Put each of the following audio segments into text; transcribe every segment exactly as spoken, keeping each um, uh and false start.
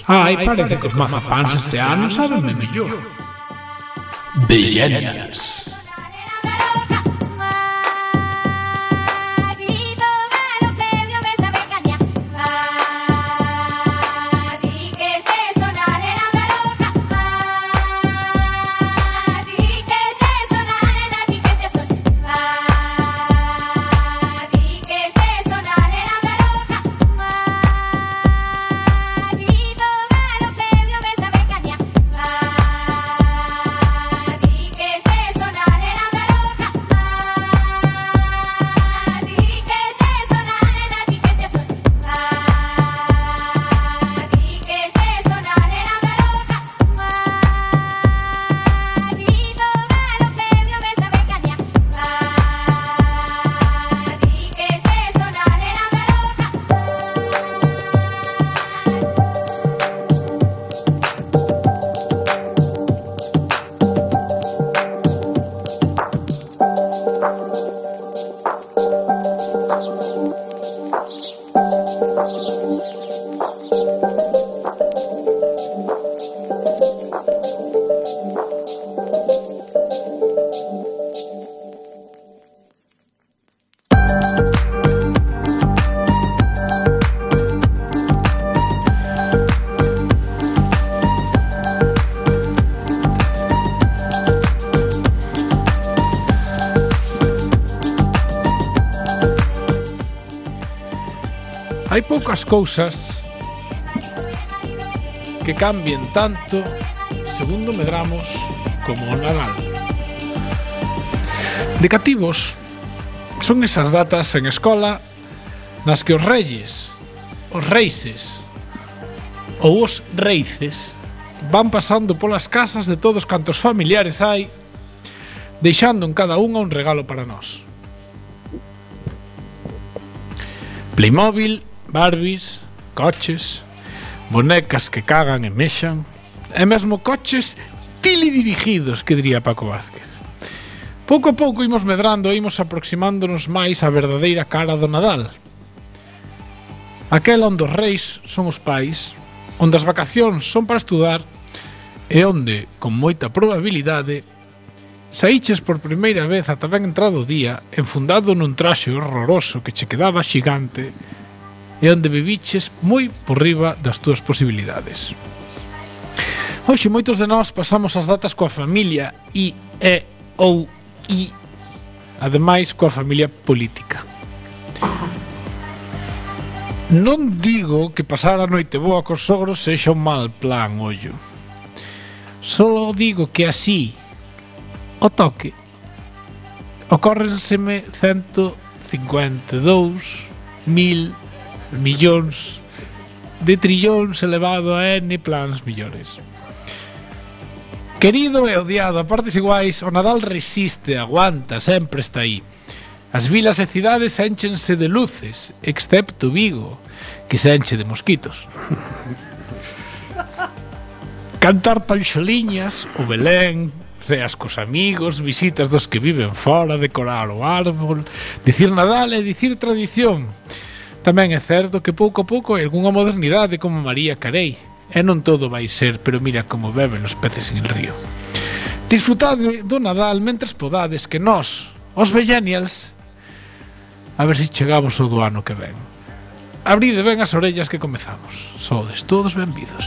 Ai, parece que os mazapáns este ano sabenme mellor. Vegenials. Hai poucas cousas que cambien tanto, segundo medramos, como o Nadal. De cativos, son esas datas en escola nas que os reyes, os reises ou os reices van pasando polas casas de todos cantos familiares hai, deixando en cada unha un regalo para nós. Playmobil, Barbies, coches, bonecas que cagan e mexan, e mesmo coches teledirigidos, que diría Paco Vázquez. Pouco a pouco imos medrando e imos aproximándonos máis á verdadeira cara do Nadal. Aquela onde os reis son os pais, onde as vacacións son para estudar e onde, con moita probabilidade, saíches por primeira vez ata ben entrado o día enfundado nun traxe horroroso que che quedaba xigante e onde viviches moi por riba das túas posibilidades. Hoxe moitos de nós pasamos as datas coa familia e, e, ou, e, ademais coa familia política. Non digo que pasar a noite boa cos sogros sexa un mal plan, ollo. Só digo que así, o toque, ocórrenseme cento cincuenta e dous mil millóns de trillóns elevado a n plans millores. Querido e odiado, a partes iguais, o Nadal resiste, aguanta, sempre está aí. As vilas e cidades énchense de luces, excepto Vigo, que se enche de mosquitos. Cantar panxoliñas, o Belén, ceas cos amigos, visitas dos que viven fora, decorar o árbol, dicir Nadal e dicir tradición. Tamén é certo que pouco a pouco hai algunha modernidade como María Carey, e non todo vai ser, pero mira como beben os peces en el río. Disfrutade do Nadal mentres podades, que nós, os Vegenials, a ver se chegamos ao do ano que ven. Abride ben as orellas que comezamos. Sodes todos benvidos.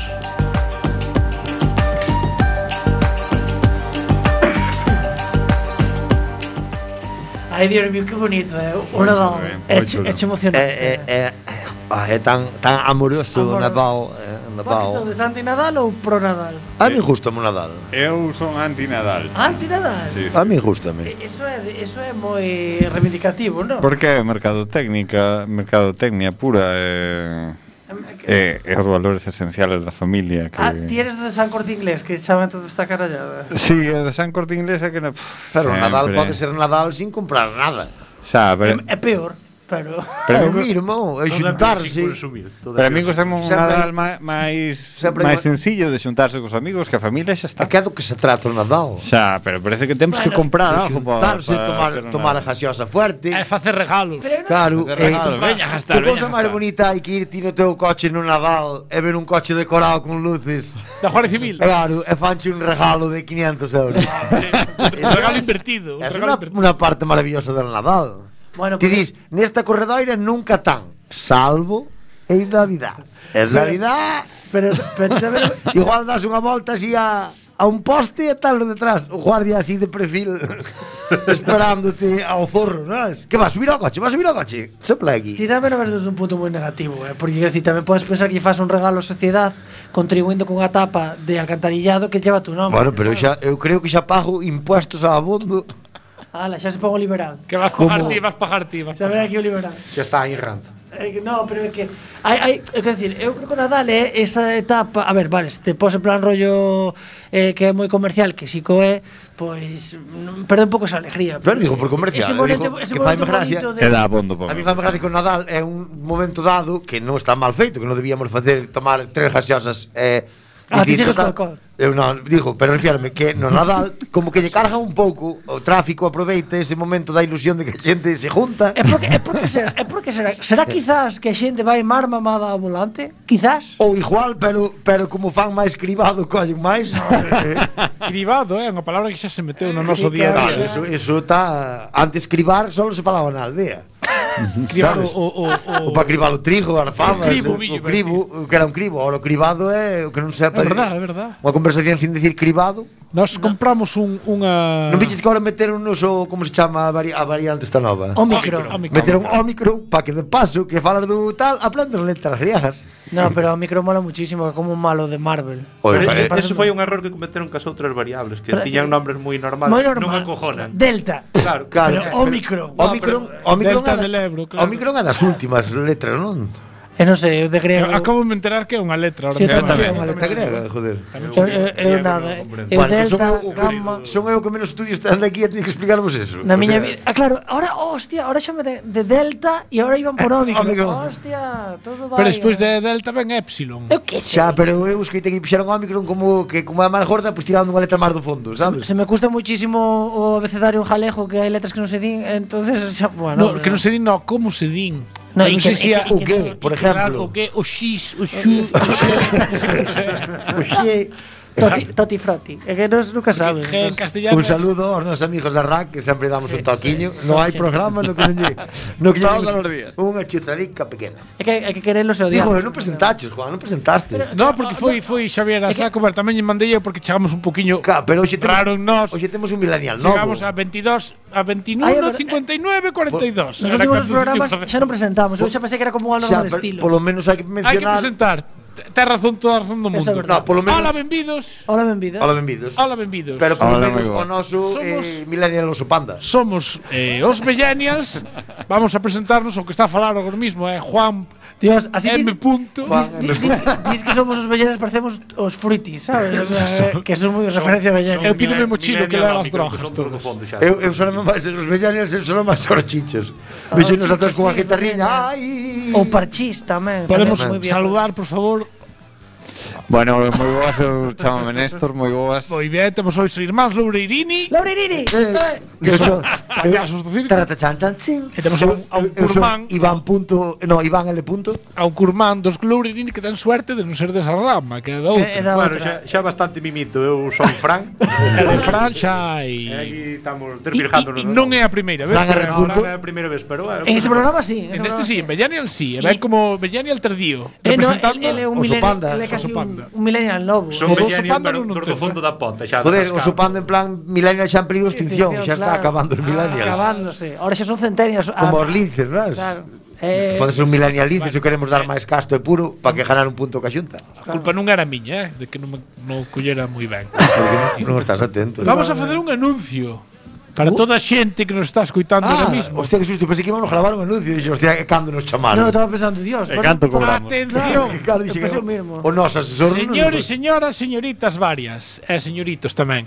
Ai, Dios mío, que bonito, eh? O Nadal. É emocionante. É, é, é tan, tan amoroso o Nadal. Vos que sodes anti-Nadal ou pro-Nadal? A mí gustame o Nadal. Eu son anti-Nadal. Anti-Nadal? Sí, sí. A mí gustame. Eso é, eso é moi reivindicativo, non? Porque é mercadotécnica, mercadotecnia pura e... E, e os valores esenciales da familia que... Ah, ti eres do de San Corte Inglés, que chaman todo esta carallada. Sí, o de San Corte Inglés é que... No, pero o Nadal pode ser Nadal sin comprar nada. Xa, pero... É, é peor. pero Pero o mismo, é xuntarse. Pero a mí gostame un Nadal máis máis sencillo de xuntarse cos amigos que a familia xa está. Que é do que se trata o Nadal. Xa, pero parece que temos que comprar algo para xuntarse, tomar, tomar a gaseosa fuerte. É facer regalos. Claro, regalo, veña a gastar, que cosa veña a máis gastar. bonita hai que ir ti no teu coche no Nadal e ver un coche decorado con luces. Da Guardia Civil. Claro, e fanche un regalo de quinientos euros. Un regalo invertido. É unha, unha parte maravillosa del Nadal. bueno, Ti dis, nesta corredoira nunca tan, salvo en Navidad. En Navidad, pero pero tamén igual das unha volta así a, a un poste e tal detrás, o guardia así de perfil esperándote ao zorro, non? Que vas subir ao coche, vas subir ao coche. Se plegui. ti tamén o ves desde un punto moi negativo, eh? Porque quer decir, tamén podes pensar que faz un regalo á sociedade contribuindo cunha tapa de alcantarillado que lleva tu nome. Bueno, pero xa, eu creo que xa pago impuestos a abondo. Ala, xa se pon o liberal. Que vas pagar ti, vas pagar ti. Xa ven aquí o liberal. Xa está aí rant. É que no, pero é que hai hai, é que decir, eu creo que o Nadal é esa etapa, a ver, vale, se te pos en plan rollo eh, que é moi comercial, que si co é, pois non- perde un pouco esa alegría. Pero digo por comercial, ese digo momento, ese que momento faime gracia. bonito de Era abondo A para mí fame gracia que o Nadal é un momento dado que non está mal feito, que non debíamos facer tomar tres gaseosas eh, Ah, ti distintas, sigues tal. co alcohol. Eu non, digo, pero refírame que no Nadal como que lle carga un pouco, o tráfico aproveita ese momento da ilusión de que a xente se junta. É porque, é porque será, é porque será, será quizás que a xente vai mar mamada ao volante? Quizás? Ou igual, pero pero como fan máis cribado, collen máis. Eh, Cribado, é unha palabra que xa se meteu no noso Sí, día a claro, día. eso eso tá antes cribar só se falaba na aldea. Cribado sabes? o, o, o, O para cribar o trigo, as fabas, O cribo, o, millo, o cribo, o que era un cribo, ahora o cribado é o que non sepa. É verdad, é verdad. Unha conversación sin decir cribado. Nos compramos un, unha... Non viches que agora meteron no so, como se chama a, vari, a variante esta nova? Omicron. Omicron. Meteron Omicron para que de paso que falas do tal aprendan letras griegas. No, pero Omicron mola muchísimo, é como un malo de Marvel. Oye, Pero pare- ese foi un error que cometeron cas outras variables, que Pero- tiñan nombres moi normales, Moi non normal. acojonan. Delta. Claro, Claro. Pero Omicron. Omicron, pero- Omicron, Delta é da- del Ebro, claro. Omicron é das últimas letras, non? Eu non sei, eu de griego. Acabo de me enterar que é unha letra. Ahora Sí, me eu chama. tamén. É unha letra grega, joder. Eu, eu, eu nada, eu Bueno, delta, son eu, o que- gamma. son eu que menos estudios están aquí e teño que explicarvos eso. Na O miña sea, vida. Ah, claro, ahora, hostia, ahora xa me de, de delta e ahora iban por Omicron. Omicron. Hostia, todo vai. Pero despois eh. de Delta ven Epsilon. Eu que sei. Xa, pero eu escoitei que fixeron Omicron como que como é máis gorda, pois pues, tirando unha letra máis do fondo, sabes? Se me custa muchísimo o abecedario en jalejo, que hai letras que non se din, entonces xa, bueno. No, que non se din, no, como se din. No, Eu e non que- sei se e a- que- O que, por exemplo? O que, o X, o Xu, o Xe. Oxe, Toti, toti froti. É que nos nunca sabes. Que en castellano. un saludo aos nosos amigos da R A C que sempre damos un toquiño. Non hai programa no que non lle no que lle Todos demos os días. unha chuzadica pequena. É que hai que quererlos e Digo, odiarlos. non presentaches, Juan, non presentaste. No, porque foi foi Xavier a saco, pero tamén lle mandei eu porque chegamos un poquinho Claro, pero hoxe temos, raro en nós. hoxe temos un millennial novo. Chegamos a veintidós, a veintiuno, Ai, a ver, cincuenta y nueve, cuarenta y dos. Nos últimos programas xa non presentamos. Eu xa pensei que era como un Xa, norma de pero estilo. polo menos hai que Hai que mencionar. presentar. Ten razón, toda a razón do mundo. Esa é verdade. No, polo menos. Hola, benvidos. Hola, benvidas. Hola, benvidos. Hola, benvidos. Pero polo Hola, menos moi o boa. noso eh, Somos- millennial oso panda. Somos eh, os Millennials. Vamos a presentarnos o que está a falar agora mismo é Juan Dios, así M. dis, Punto. dis, di- di- dis que somos os bellenes, parecemos os fruitis, sabes? O sea, que son moi referencia a bellenes. Eu pido mi mochilo que leva as drogas todas. Eu, eu solo máis os millennials, eu solo máis os chichos. Vexenos a todos con a guitarriña. Ai. Ou parchís tamén. Podemos tamén moi bien. saludar, por favor. Bueno, moi boas, eu chamame Néstor, moi boas. Moi ben, temos hoxe os irmáns Loureirini, Laureirini. Eh, que son payasos do circo. Tarata chan tan chin. E temos a un, a un Eu son curmán, Iván punto, no, Iván L punto. a un curmán dos Loureirini que ten suerte de non ser desa rama, que é da É outra. da Bueno, outra. xa, xa bastante mimito, eu son Fran. E de Fran xa E hai... aquí estamos E, tervirjándonos. e non é a primeira vez. Fran pero R. ahora- punto. É a primeira vez, pero é En este programa sí. En este sí, en Millennial sí, e E- ven como Millennial tardío, Eh, no, representando... ele é un Oso millennial, panda, ele é casi oso panda. un, un millennial novo. Son O do millennial, Sopanda pero non dos do ten, fondo da ponta, xa. Joder, das o cascas. sopando en plan millennial xa en peligro de extinción, xa está claro. acabando os millennials. Acabándose. Ahora xa son centenias. Como os linces, non? Claro. Eh, Pode ser un millennial lince se queremos dar máis casto e puro para que ganar un punto ca xunta. A culpa non era miña, eh, de que non me non collera moi ben. Porque non, non estás atento. Vamos a facer un anuncio para toda a xente que nos está escoitando Ah, ahora mismo. hostia, que susto, pensei que íbamos a gravar un anuncio e dixo, hostia, que cando nos chamaron. No, estaba pensando, Dios. E pero- canto cobramos. Atención, Que claro, dixe Eu que pensei o mismo. o noso asesor non señores, nos- señoras, señoritas varias, e señoritos tamén.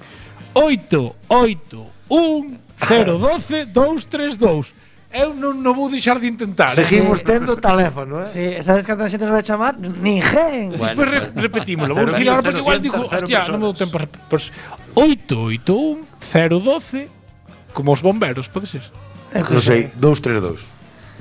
oito oito un cero doce dous tres dous. eu non, non vou deixar de intentar. Seguimos Sí. tendo teléfono, eh? Sí, sabes cando a xente nos vai chamar? Ninguén. Despois re repetímolo. Vou dicir ahora porque igual digo, hostia, non me dou tempo. Pois oito oito un cero doce como os bomberos, pode ser. Eu que Non sei, dous tres dous.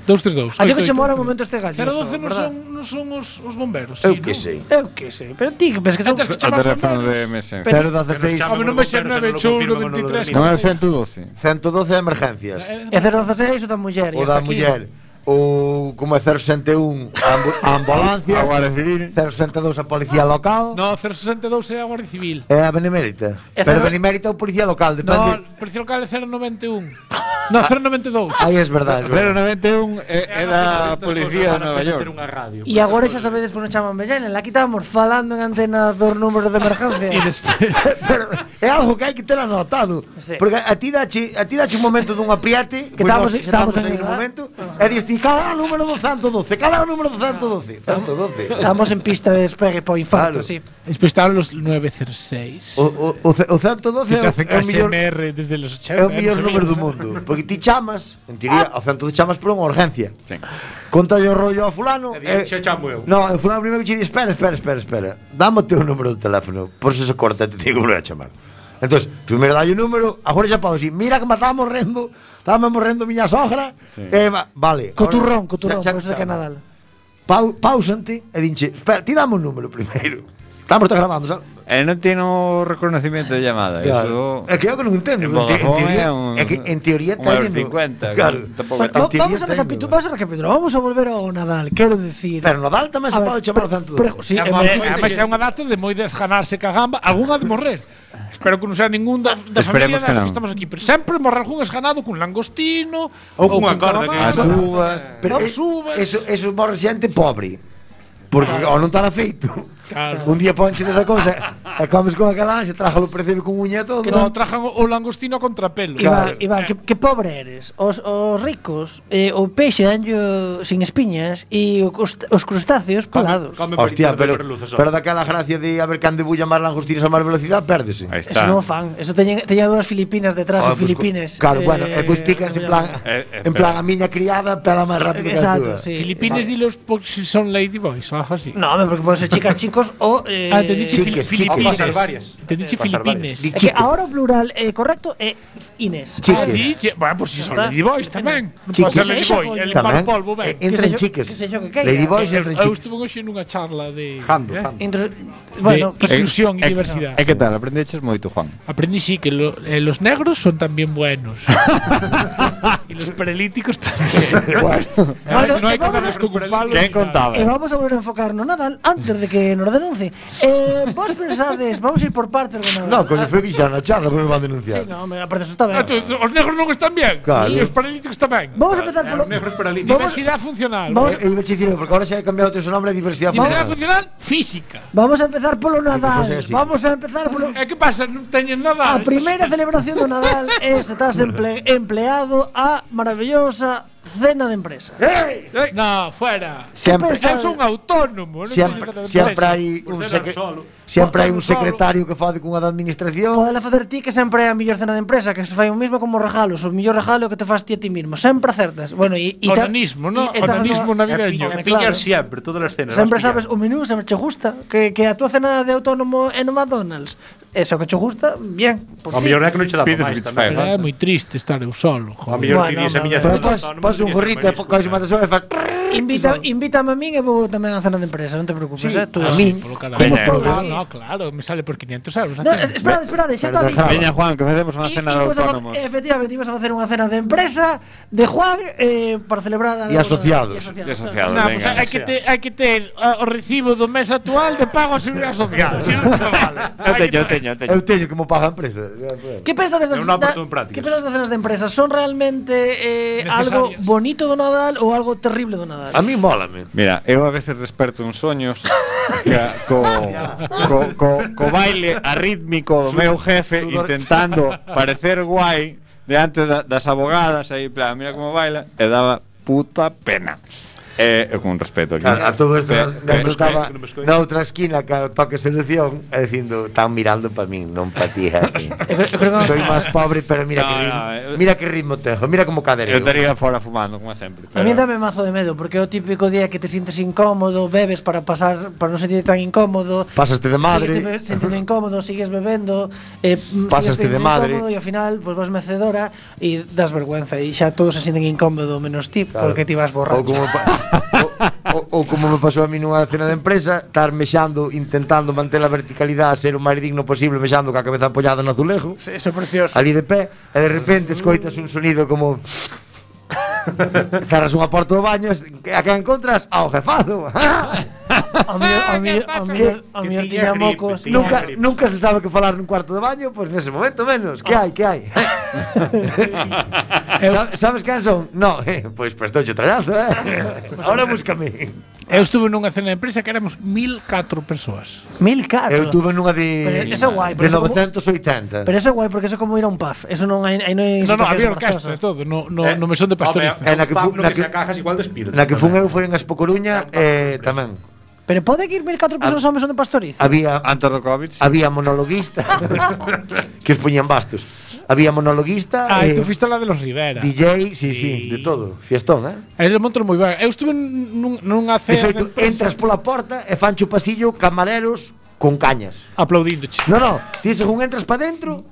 dous tres dous. A ti que che mora o momento este gallo. cero doce non son, non son os, os bomberos. Eu sí, que non? sei. Eu que sei, pero ti que pensas que son... Antes que O chamar teléfono bomberos. de M S N. cero doce seis Home, non vai ser nove ocho un noventa e tres. Non é o ciento doce. ciento doce emergencias. É cero doce seis o da muller. O da muller. O como é cero sesenta e un a, ambu a ambulancia. A Guardia Civil. cero sesenta e dous a policía local. No, cero sesenta e dous é a Guardia Civil. É a Benemérita. É Pero cero- Benemérita é o policía local, No, depende. o policía local é cero noventa e un. No, cero noventa e dous. Aí é verdade. é cero verdade. noventa e un era a policía de Nova York. E agora xa sabedes por non chaman Bellenen. Aquí estábamos falando en antena dos números de emergencia. E despois Pero é algo que hai que ter anotado. Sí. Porque a ti dache, a ti dache un momento dun apriate, Que pois estamos- nós estamos en aí el- un momento, e dis ti, cala o número do ciento doce, cala o número do ciento doce, ciento doce. Estamos en pista de despegue para o infarto, Claro. sí. despois estaban los nueve cero seis. O, o, o, ce- o ciento doce Que te é, hacen é o mellor, A S M R desde los ochenta. é o mellor número do mundo. Porque ti chamas, en teoría, o ciento doce chamas por unha urgencia. Sí. Conta o rollo ao fulano. E e- xa chamo eu. No, o fulano primeiro que che di, espera, espera, espera, espera. Dame o teu número de teléfono, por se se corta, te digo que volver a chamar. Entonces, primeiro dai o número, agora xa podo dicir, mira que me estaba morrendo, estaba morrendo miña sogra, Sí. e va, vale. Coturrón, ahora- coturrón, xa- por xa eso de que chama. Nadal. Pau, pausante e dinche, espera, ti dame un número primeiro. Estamos está grabando, sabes? E non tiene o reconocimiento de llamada. Claro. Eso... É que eu que non entendo. En En, te, en Vodafone teoría, é un- é que en teoría un euro teñen- cincuenta, Claro. tampouco Bueno, é va- en teoría vamos a teñen, recapitular, ¿no? vamos a recapitular. Vamos a volver ao Nadal, quero decir. Pero Nadal tamén se A ver, pode chamar o pre- ciento pre- doce. Sí, É, é moi- moi- ademais é unha data de moi desganarse ca gamba, algunha de morrer. Espero que non sea ningún da, da familia Esperemos que das que, non. estamos aquí, pero sempre morre algún esganado cun langostino Ou cunha corda, que As calamar, uvas. Pero as es- uvas. eso, eso morre xente pobre. Porque ao non estar afeito. Claro. Un día ponche desa cousa e comes con aquela ansia, trájalo percebe con uña e todo. Que non trajan o o langostino a contrapelo. Iván, Claro. Iván, que, que pobre eres. Os, os ricos, eh, o peixe danllo sin espiñas e o cust- os crustáceos pelados. Come Hostia, pero, pero pero daquela gracia de a ver can debulla máis langostinos a máis velocidade, pérdese. Aí Eso está. non o fan. Eso teñen, teña dúas filipinas detrás, Ah, en pues, Filipines. Claro, Eh, bueno, e pois picas en plan, Eh, eh, en plan a miña criada pela máis rápido que a Exacto, túa. sí. Filipines di los si son ladyboys o algo así. No, hombre, porque pueden ser chicas, chicos o. Eh, Ah, te dicho chiques, Filipines. chiques. Pasar varias. Te dicho Pasar Filipines. Di- Es que chiques. ahora o plural eh, correcto é Inés. Chiques. Ah, diche, bueno, pues si son Está. ladyboys tamén. Non Chiques. pode ser Que sexa, ladyboy, coño. el Tamén, par polvo, ben. eh, entra en Que sexa- chiques. que sexa o que queira. Ladyboys Eu, entra en eu chiques. estuve hoxe nunha charla de Jando, eh, jando. Intro- bueno, de pues, exclusión y Eh, diversidad. E que tal? Aprendeches moito, Juan? Aprendí sí que lo- eh, los negros son también buenos. Y los paralíticos también. Bueno, no hay e que vamos darles a- con palos. Quen contaba? E vamos a volver a enfocar no Nadal antes de que nos denuncie. Eh, vos pensades, vamos a ir por partes do Nadal. No, coño, foi que xa na charla, pero me van denunciar. Sí, no, hombre, aparte eso está ben. Ah, tú, os negros non están bien. Claro. Y los paralíticos tamén. Vamos a empezar polo negros paralíticos. Vamos, Diversidad funcional. Vamos- E iba a dicir, porque ahora xa hai cambiado o teu nome a diversidade Diversidad funcional. funcional física. vamos a empezar polo Nadal. pues é así. Vamos a empezar polo E que pasa? Non teñen nada. A primeira celebración do Nadal é se estás emple, empleado a maravillosa cena de empresa. ¡Ey! No, fuera. Sempre, Eu son autónomo, non sempre, teño sempre empresa. hai Por un ser secre, solo. sempre hai un Por ser solo. secretario que fade cunha da administración. Podela facer ti que sempre é a mellor cena de empresa, que se fai o mismo como regalos, o mellor regalo que te fas ti a ti mismo, sempre acertas. Bueno, e e ta- Onanismo, ¿no? e- e tas Onanismo no- navideño. E Claro. pillar sempre, todas as cenas. Sempre vas pillar. sabes o menú, sempre che gusta, que que a tua cena de autónomo é no McDonald's. Eso que che gusta, bien. por O ti. mellor é que non che dá Pides máis pizza tamén. Pero é moi triste estar eu solo. O Joder. mellor Bueno, ti dis a miña hombre, cena Pero de pas, autónomo, pas un dirías gorrito e marisco. coges unha tesora e faz... Invita, invítame a min e vou tamén á cena de empresa, non te preocupes, Sí, eh, tú. a Ah, min. polo caralho. Como No, todo. no, claro, me sale por quinientos euros. No, es- esperade, esperade, xa está Pero dito. Veña, Juan, que facemos unha Y- cena y de pues, a- autónomos. Efectivamente, íbamos a facer unha cena de empresa de Juan eh, para celebrar a Y asociados. Y asociados. No, pues venga. hai que ter, hai que ter uh, o recibo do mes actual de pago a seguridade social. Si non, non vale. Eu Hai que teño, eu ter- teño, eu teño. Eu teño que mo paga a empresa. ¿Qué pensades das, Eu non da, aporto en prácticas. ¿Qué pensades das cenas de empresa? ¿Son realmente eh, algo Necesarias. bonito do Nadal ou algo terrible do Nadal? A mí mólame. Mira, eu a veces desperto en soños que, co, co, co, co baile arrítmico do meu jefe sudor. intentando parecer guai diante da, das abogadas aí, en plan, mira como baila, e daba puta pena. Eh, con respeto aquí. A, a todo isto, Eh, Néstor eh, estaba que non me escoito. na outra esquina que o toque seducción e dicindo, están mirando para min, non para ti, jefe. Eu creo- eu creo que- Soy máis pobre, pero mira No, que no, ritmo, eh, mira que ritmo tengo, mira como cadereo. Eu estaría fora fumando, como sempre. A mí dame mazo de medo, porque é o típico día que te sientes incómodo, bebes para pasar para non sentirte tan incómodo. Pasaste de madre. Sigues te sentindo incómodo, sigues bebendo, eh, mm, Pasaste sigues de teniendo madre. incómodo e ao final pues vas mecedora e das vergüenza e xa todos se sienten incómodo menos ti, Claro. porque ti vas Ou borracho. como, pa- o, o, ou como me pasou a mí nunha cena de empresa, estar mexando, intentando manter a verticalidade, ser o máis digno posible, mexando ca cabeza apoiada no azulejo, Sí, eso é precioso. ali de pé, e de repente escoitas un sonido como cerras unha porta do baño, e a que encontras ao jefado. A mí a mí a mí a mí Que tiña tiña gripe, mocos. tiña nunca, gripe. nunca se sabe que falar nun cuarto de baño, pois pues nese momento menos. Que hai, que hai? Sa- Sabes quen son? No, eh, pois prestouche trallazo, eh. Ahora búscame. Eu estuve nunha cena de empresa que éramos mil catro persoas. Mil catro. Eu tuve nunha de Pero eso é guai, pero de eso como- novecentos e oitenta. Pero eso é guai porque eso é como ir a un pub. Eso non hai aí non hai No, no, situacións había orquestra e embarazadas. todo, no, no, Eh, no mesón de pastoriza. É na que fu- Pablo na que que- se cajas igual despido. Na que fun eu foi en Expo Coruña e tamén Pero pode que ir mil catro persoas ao mesón de pastoriza. había Antes do Covid. había monologuista que os poñían bastos. Había monologuista Ah, e e tú fuiste a la de los Rivera. D J, sí, sí, de todo, fiestón, eh? Aí le montan moi ben. Eu estuve nun, nunha De cena feito, de empresa entras pola porta e fancho pasillo camareros con cañas. aplaudíndoche. No, no, ti según entras pa dentro,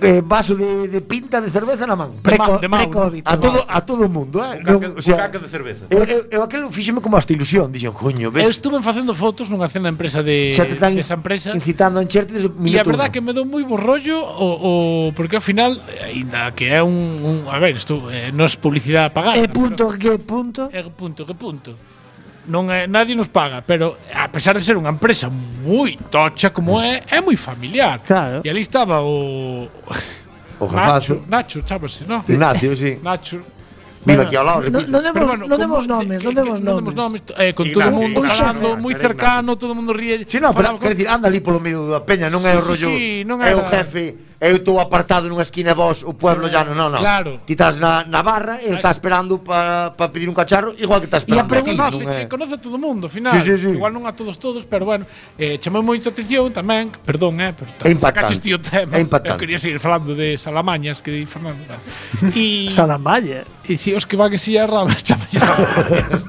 eh, vaso de, de pinta de cerveza na man. Preco, de Mau, pre-COVID. A todo, a todo o mundo, eh? Un caca, Non, o sea, un caca de cerveza. eu, eu, eu aquelo fíxeme como hasta ilusión. Dixen, coño, Eu ves? estuve facendo fotos nunha cena de empresa de, Xa te están desa empresa. incitando a encherte desde o E a minuto verdad uno. que me dou moi bo rollo o, o porque ao final, aínda que é un, un a ver, isto eh, non é publicidade pagada. E punto que punto. É punto, que punto. Non é, nadie nos paga, pero a pesar de ser unha empresa moi tocha como é, é moi familiar. Claro. E ali estaba o O Nacho, jefazo. Nacho, chámase, ¿no? Ignacio, sí. Nacho. Vive aquí ao lado, no, repito. no demos, Pero bueno, no como- demos nomes, eh, non que- demos non demos nomes. nomes, eh, con Ignacio, todo o mundo Ignacio, falando Ignacio, moi era cercano, todo o mundo ríe. Sí, no, pero falaba quero con- dicir, anda ali polo medio da peña, non é o Sí, sí, rollo. sí, non é o era- jefe, eu estou apartado nunha esquina e vos, o pueblo ya non, non, non. Claro. Ti estás na, na barra, ele está esperando para pa pedir un cacharro, igual que está E a esperando. pregunta- ti, non Conoce, é- sí, conoce a todo o mundo, ao final. Sí, sí, sí. Igual non a todos todos, pero bueno, eh, chamou moito a atención tamén, perdón, eh, pero É impactante. sacaches ti o tema. É impactante. Eu quería seguir falando de Salamañas, que di Fernando. Tal. E Salamalla. E si os que van en silla errada chamalles Salamañas.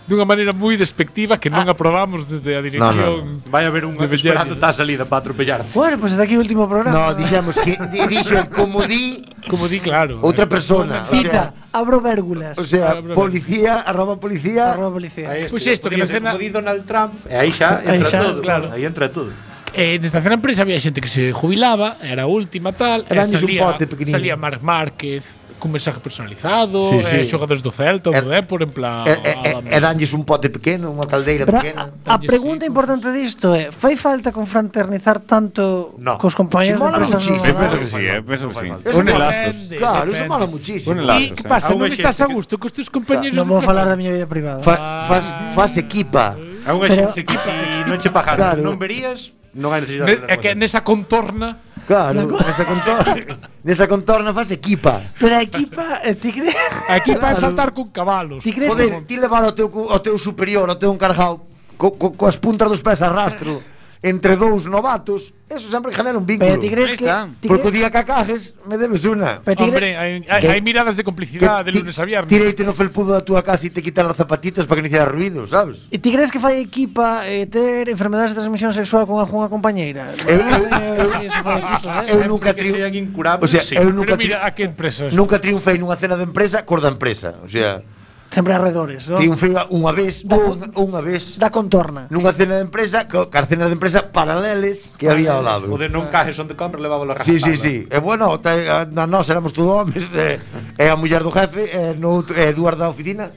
Dunha maneira moi despectiva que non aprobamos desde a dirección. Vai haber un de esperando Bellani. tá a salida para atropellar. Bueno, pues desde aquí o último programa. No, dixemos que di- dixo el como di Como di, claro. outra eh, persona. Cita, abro vérgulas. O sea, Abra- policía, arroba policía. Arroba policía. Aí Pois este, isto, que podía na ser cena- como di Donald Trump, e aí xa Aí entra xa, todo, claro. Aí entra todo. Eh, nesta cena empresa había xente que se jubilaba, era a última tal, e Eranlles un salía, pote pequeniño. salía Marc Márquez cun mensaje personalizado, Sí, eh, sí. xogadores do Celta, E- do Depor, en plan... E, e, e, e danlles un pote pequeno, unha caldeira Pero pequena. a, a pregunta sí, importante disto é, fai falta confraternizar tanto No. cos compañeros Si mola de empresas muchísimo. Eu no penso Nadal? que sí, eh, penso que sí. Eso Une mola. lazos. Depende, Claro, eso depende. mola muchísimo. Une E lazos, que eh. pasa? A Non unha estás xente a que- gusto cos teus compañeros Non de vou falar da traballo? miña vida privada. Fa, faz, faz equipa. É unha Pero- xente que si non che pagaran, Claro. non verías, non hai necesidade. Ne, é que nesa contorna Claro, nesa contorna, nesa contorna faz equipa. Pero a equipa, eh, ti crees? aquí para Claro. saltar con cabalos. Ti crees que Poder, ti levar ao teu, cu- ao teu superior, ao teu encargado, co, co, coas puntas dos pés a rastro, entre dous novatos, eso sempre genera un vínculo. Pero ti crees Ahí que está. ti Porque o crees, día que acajes, me debes una. pero ti Hombre, crees, hai, hai, Que- hai miradas de complicidade de ti- lunes a viernes. Tireite no felpudo da túa casa e te quitan os zapatitos para que non hiciera ruido, sabes? e ti crees que fai equipa eh, ter enfermedades de transmisión sexual con algunha compañeira? Eu- Non sei se eso fai equipa, eh? Eu nunca que tri... sean incurables, O sea, sí. eu Pero nunca, mira, tri... a que empresas? nunca triunfei nunha cena de empresa cor da empresa. O sea, Sempre arredores, non? triunfei unha vez, Da- unha, unha vez, Da contorna. nunha cena de empresa, co- car cenas de empresa paraleles que había ao lado. O de non cajes onde compra, levábalo a Sí, sí, sí. E bueno, te, a, na nós éramos todos homes, e, e a muller do jefe, e, no, outro- e dúas da oficina,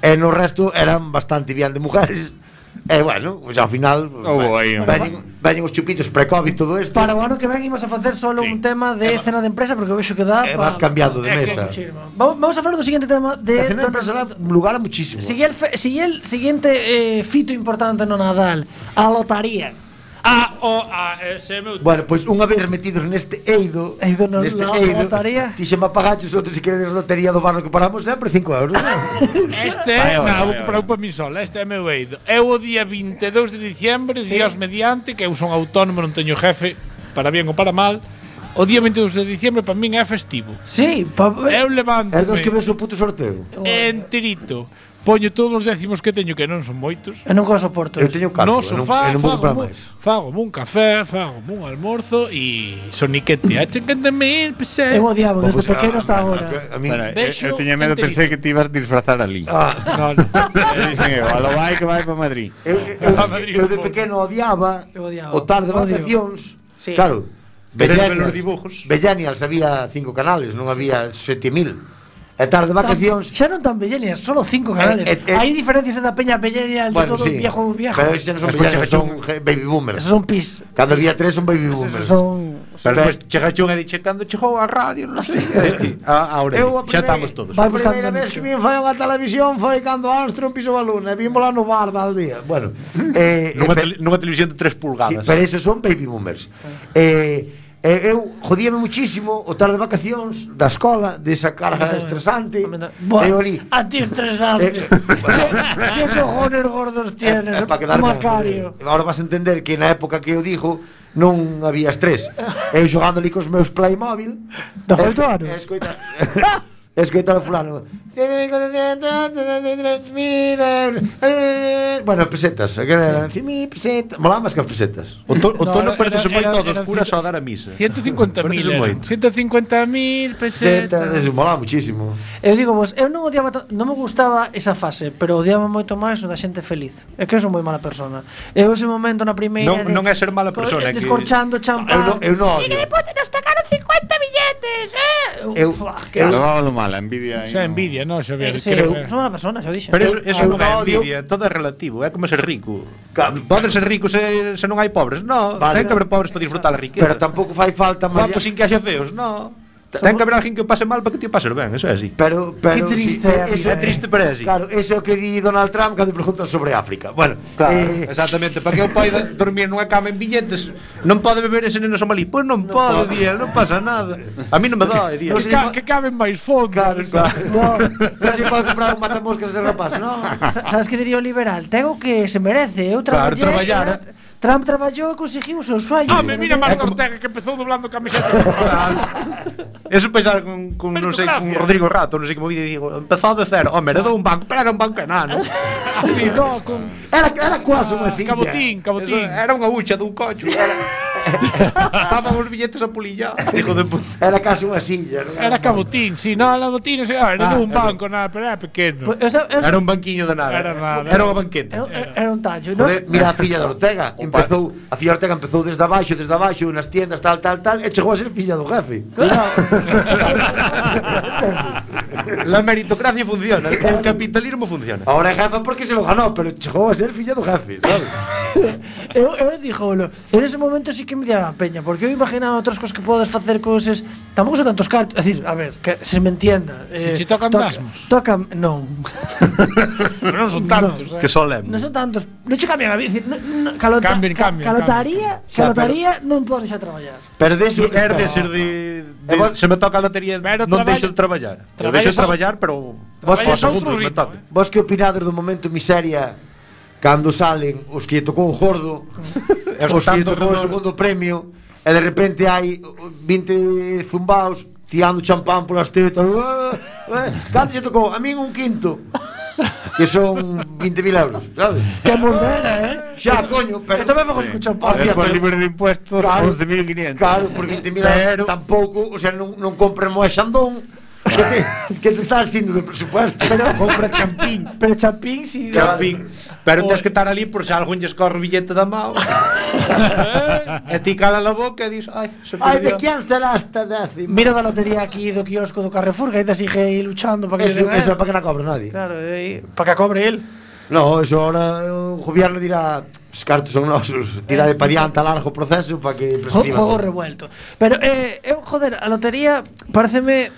e no resto eran bastante bien de mujeres. E bueno, pues ao final Houbo aí un- veñen, veñen os chupitos pre-covid todo isto. Para o ano que ven imos a facer solo un tema de cena de empresa porque eu vexo que dá E pa- vas cambiando de É que- mesa. Muchísimo. Vamos, vamos a falar do seguinte tema A de cena de empresa dá lugar a muchísimo. Sigue el, fe- sigue el siguiente eh, fito importante no Nadal, a lotaría. Ah, o, ah, ese é meu... Bueno, pois unha vez metidos neste eido, Eido no- neste la- eido, lotaría. dixeme apagaches outro se queredes lotería do barno que paramos sempre cinco euros. Este, Vai, vai, non, vai, vou vai. comprar un para mí sola. Este é meu eido. Eu o día vinte e dous de diciembre, sí. Dios mediante, que eu son autónomo, non teño jefe, para bien ou para mal. O día vinte e dous de diciembre para min é festivo. Sí, pa, Eu levanto É dos que ves o puto sorteo. enterito. Poño todos os décimos que teño, que non son moitos. eu non co soporto. Eu eso. teño catro, No e non, sofá, e non vou fago, comprar un, máis. fago un café, fago un almorzo e soniquete a cincuenta mil pesetas. Eu odiaba desde Pois, pequeno a- hasta a- agora. A mí Espera, eu, Vexo eu tiña medo, enterito. pensei que te ibas a disfrazar ali. Ah, No, no. E dixen eu, a lo vai que vai para Madrid. eu, eu, A Madrid, eu de por favor. pequeno odiaba Eu odiaba. o tarde de Odio. vacacións. Sí. Claro. Querer ver Bellanials, os dibujos. Bellanials había cinco canales, non había sete mil. E tarde de vacacións. Xa non tan Bellenias, solo cinco canales. Eh, eh, eh. Hai diferencias da peña Bellenial de Bueno, todo sí. viejo viejo. Pero esos xa non son Despois Bellanials, chega son je- baby boomers. Esos son pis. Cando había tres son baby Esos boomers. son Pero despois chega Chun e dixe cando chegou a radio, non sei. Este, a, ahora Eu a xa primeira- estamos todos. Vai A buscando primeira vez nicho. que vin foi unha televisión foi cando Armstrong pisou a luna e vimos lá no bar da aldea. Bueno, eh, Nunha, eh, tele, nunha televisión de tres Sí, pulgadas. pero esos son baby boomers. Eh, eh, eu jodíame muchísimo o tarde de vacacións da escola, desa carga estresante. Buah, Eu ali a ti estresante. Eh, ¿Qué, ¿Qué cojones gordos tienes? eh, pa quedar Macario. Ahora vas a entender que na época que eu dixo non había estrés. Eu xogando ali cos meus Playmobil. Da e falta esco- ano? e Escoita. Escoita o fulano. Bueno, pesetas, que eran cien mil pesetas. Molaba máis que as pesetas. O, to, o No, tono era- parecese era- moito era- dos curas ao dar a misa. ciento cincuenta mil. Parecese moito. ciento cincuenta mil Pesetas, pesetas. eso molaba muchísimo. Eu digo vos, eu non odiaba, ta- non me gustaba esa fase, pero odiaba moito máis o da xente feliz. É que eu son moi mala persona. Eu ese momento na primeira Non- de- non é ser mala co- persona, é que- descorchando Eu champán. non, eu non odio. nos tocaron cincuenta billetes, eh. Eu- Fuah, que eu- asco. Levábalo mal, a envidia aí. Xa non. envidia, non, Xavier? Eh, sí, creo eu que- son mala persona, xa o dixen. Pero eso, Eu- eso eu non é non odio- envidia, todo é relativo, é como ser rico. Ca- Podes ser rico se, se non hai pobres, no. Vale. Ten que haber pobres para disfrutar a riqueza. Pero tampouco fai falta malla- Guapos sin que haxa feos, no. Ten que haber alguén que o pase mal para que ti o pases ben, eso é así. Pero, pero Qué triste é a eso vida, É triste, pero é así. Claro, eso é o que di Donald Trump cando preguntan sobre África. Bueno, Claro, eh, exactamente, para que eu poida dormir nunha cama en billetes, non pode beber ese neno somalí. Pois non pode, día, non pasa nada. A mí non me dá, día. No Que, sé, ca- que caben máis fondo. claro, claro. No, sabes se podes comprar un matamoscas ese rapaz, no? Sa- Sabes que diría o liberal? Ten o que se merece. Eu Claro, traballei. traballar, eh, Trump traballou e conseguiu o seu sueño. Ah, me mira É Marco como- Ortega que empezou doblando camisetas. Eso pensar con, con non sei, con Meritocracia. Rodrigo Rato, non sei como vi, digo, empezou de cero. Home, heredou un banco, pero era un banco enano. Así, no, con Era, era quase unha silla. cabotín, Eso cabotín. era unha hucha dun cocho. Estaban os billetes a pulillar. Hijo de puta. Era case unha silla. Non Era cabotín, si, no, la botín, ah, era Ah, de un era- banco, nada, pero era pequeno. Pues, eu, sa- eu, Era un banquiño de nada. Era nada. Era unha banqueta. eu, era un tallo. Non Joder, sei- mira a filla de Ortega, empezou, a filla de Ortega empezou desde abaixo, desde abaixo, nas tiendas, tal, tal, tal, e chegou a ser filla do jefe. La meritocracia funciona, el capitalismo funciona. Ahora é jefa porque se lo ganó, pero chegou a ser filla do jefe, sabes? eu, eu dixolo, en ese momento sí que me daba peña, porque eu imaginaba outras cosas que podes facer coses, tampouco son tantos cartos, é dicir, a ver, que se me entienda. Se che tocan dasmos. Tocan, non. Pero non son tantos, eh. Que solemne. Non son tantos, non che cambian a vida, no, no, calota, Cambian, cambian, calotaría, Xa, calotaría non podes xa traballar. Pero de eso, É de ser de, de E vos- se me toca a lotería, Pero non traballa- deixo de traballar. Eu traballas deixo de ao- traballar, pero Vos aos traballas a outro segundos me ritmo, toca. eh. vos que opinades do momento miseria cando salen os que lle tocou o gordo, E os os que lle tanto tocou o redor. segundo premio, e de repente hai vinte zumbaos tirando champán polas tetas. "Ah, ah". Canto lle tocou? A min un quinto. Que son vinte mil euros, sabes? Que mondera, eh? Xa, coño, pero... Eu tamén fago escuchar pan. Hostia, Por pero- libre de impuestos, Claro. once mil quinientos. Claro, por vinte mil Pero- euros tampouco, o sea, non, non compren moe xandón que te, que te está sindo de presupuesto. Pero compra champín. Pero champín si Champín. Pero tens que estar ali por se algún lle escorre o billete da mao. E ti cala a boca e dis, ai, se Ai, de perdió. quién será esta décima? Mira da lotería aquí do quiosco do Carrefour, que ainda sigue aí luchando para que Eso, le den, eso eh. é para que non cobra nadie. Claro, eh, para que cobre él. No, eso ahora o gobierno dirá os cartos son nosos, tirade para diante a largo proceso para que Jo- prescriba. Juego revuelto. Pero, eh, eu, joder, a lotería pareceme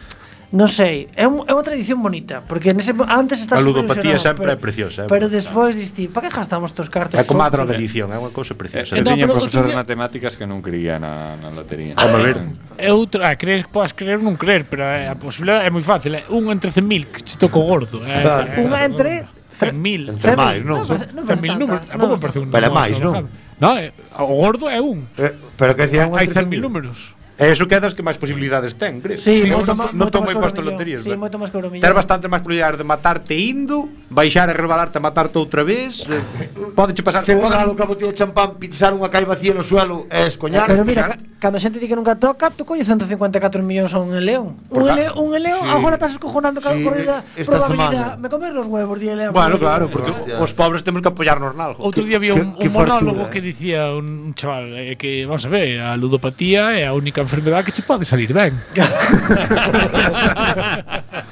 non sei, é, un, é unha tradición bonita, porque nese, antes estás A ludopatía sempre pero, é preciosa, é pero bonita. despois diste, para que gastamos tos cartos? É como a Por- drogadicción, é unha cousa preciosa. Eu No, tiña pero profesor outro de día- matemáticas que non creía na, na lotería. Vamos a ver. É outra, ah, crees que podes creer ou non creer, pero é, a posibilidade é moi fácil, é un entre cen mil que che toco gordo. É, Claro. é, Unha entre cen mil. Entre máis, non? Non, parece- non cen parece mil tanta, números, non, tampouco non. parece un Pero é número máis, non? bajado. No, é, o gordo é un. Eh, Pero que decían Hai cen mil números. E iso que é das que máis posibilidades ten, crees? Sí, Sí, moito, non má- non moito tomo máis que o imposto millón. loterías, Sí, ben. moito máis que o millón. Ter bastante máis probabilidades de matarte indo, baixar e rebalarte a matarte outra vez. eh, Pódeche pasar Te pode- regalo unha botella de champán, pisar unha cai vacía no suelo e escoñar. Pero mira, ca- cando a xente di que nunca toca, tú coñes ciento cincuenta e catro millóns a un León. Un Por ca- León, un León, Sí. agora estás escojonando cada Sí, corrida esta probabilidad. semana. Me comer los huevos, di León. Bueno, claro, porque Hostia. os pobres temos que apoiarnos nalgo. Outro día había que- un, que un monólogo fartura, que eh. dicía un, un chaval eh, que, vamos a ver, a ludopatía é a única enfermedade que che pode salir ben.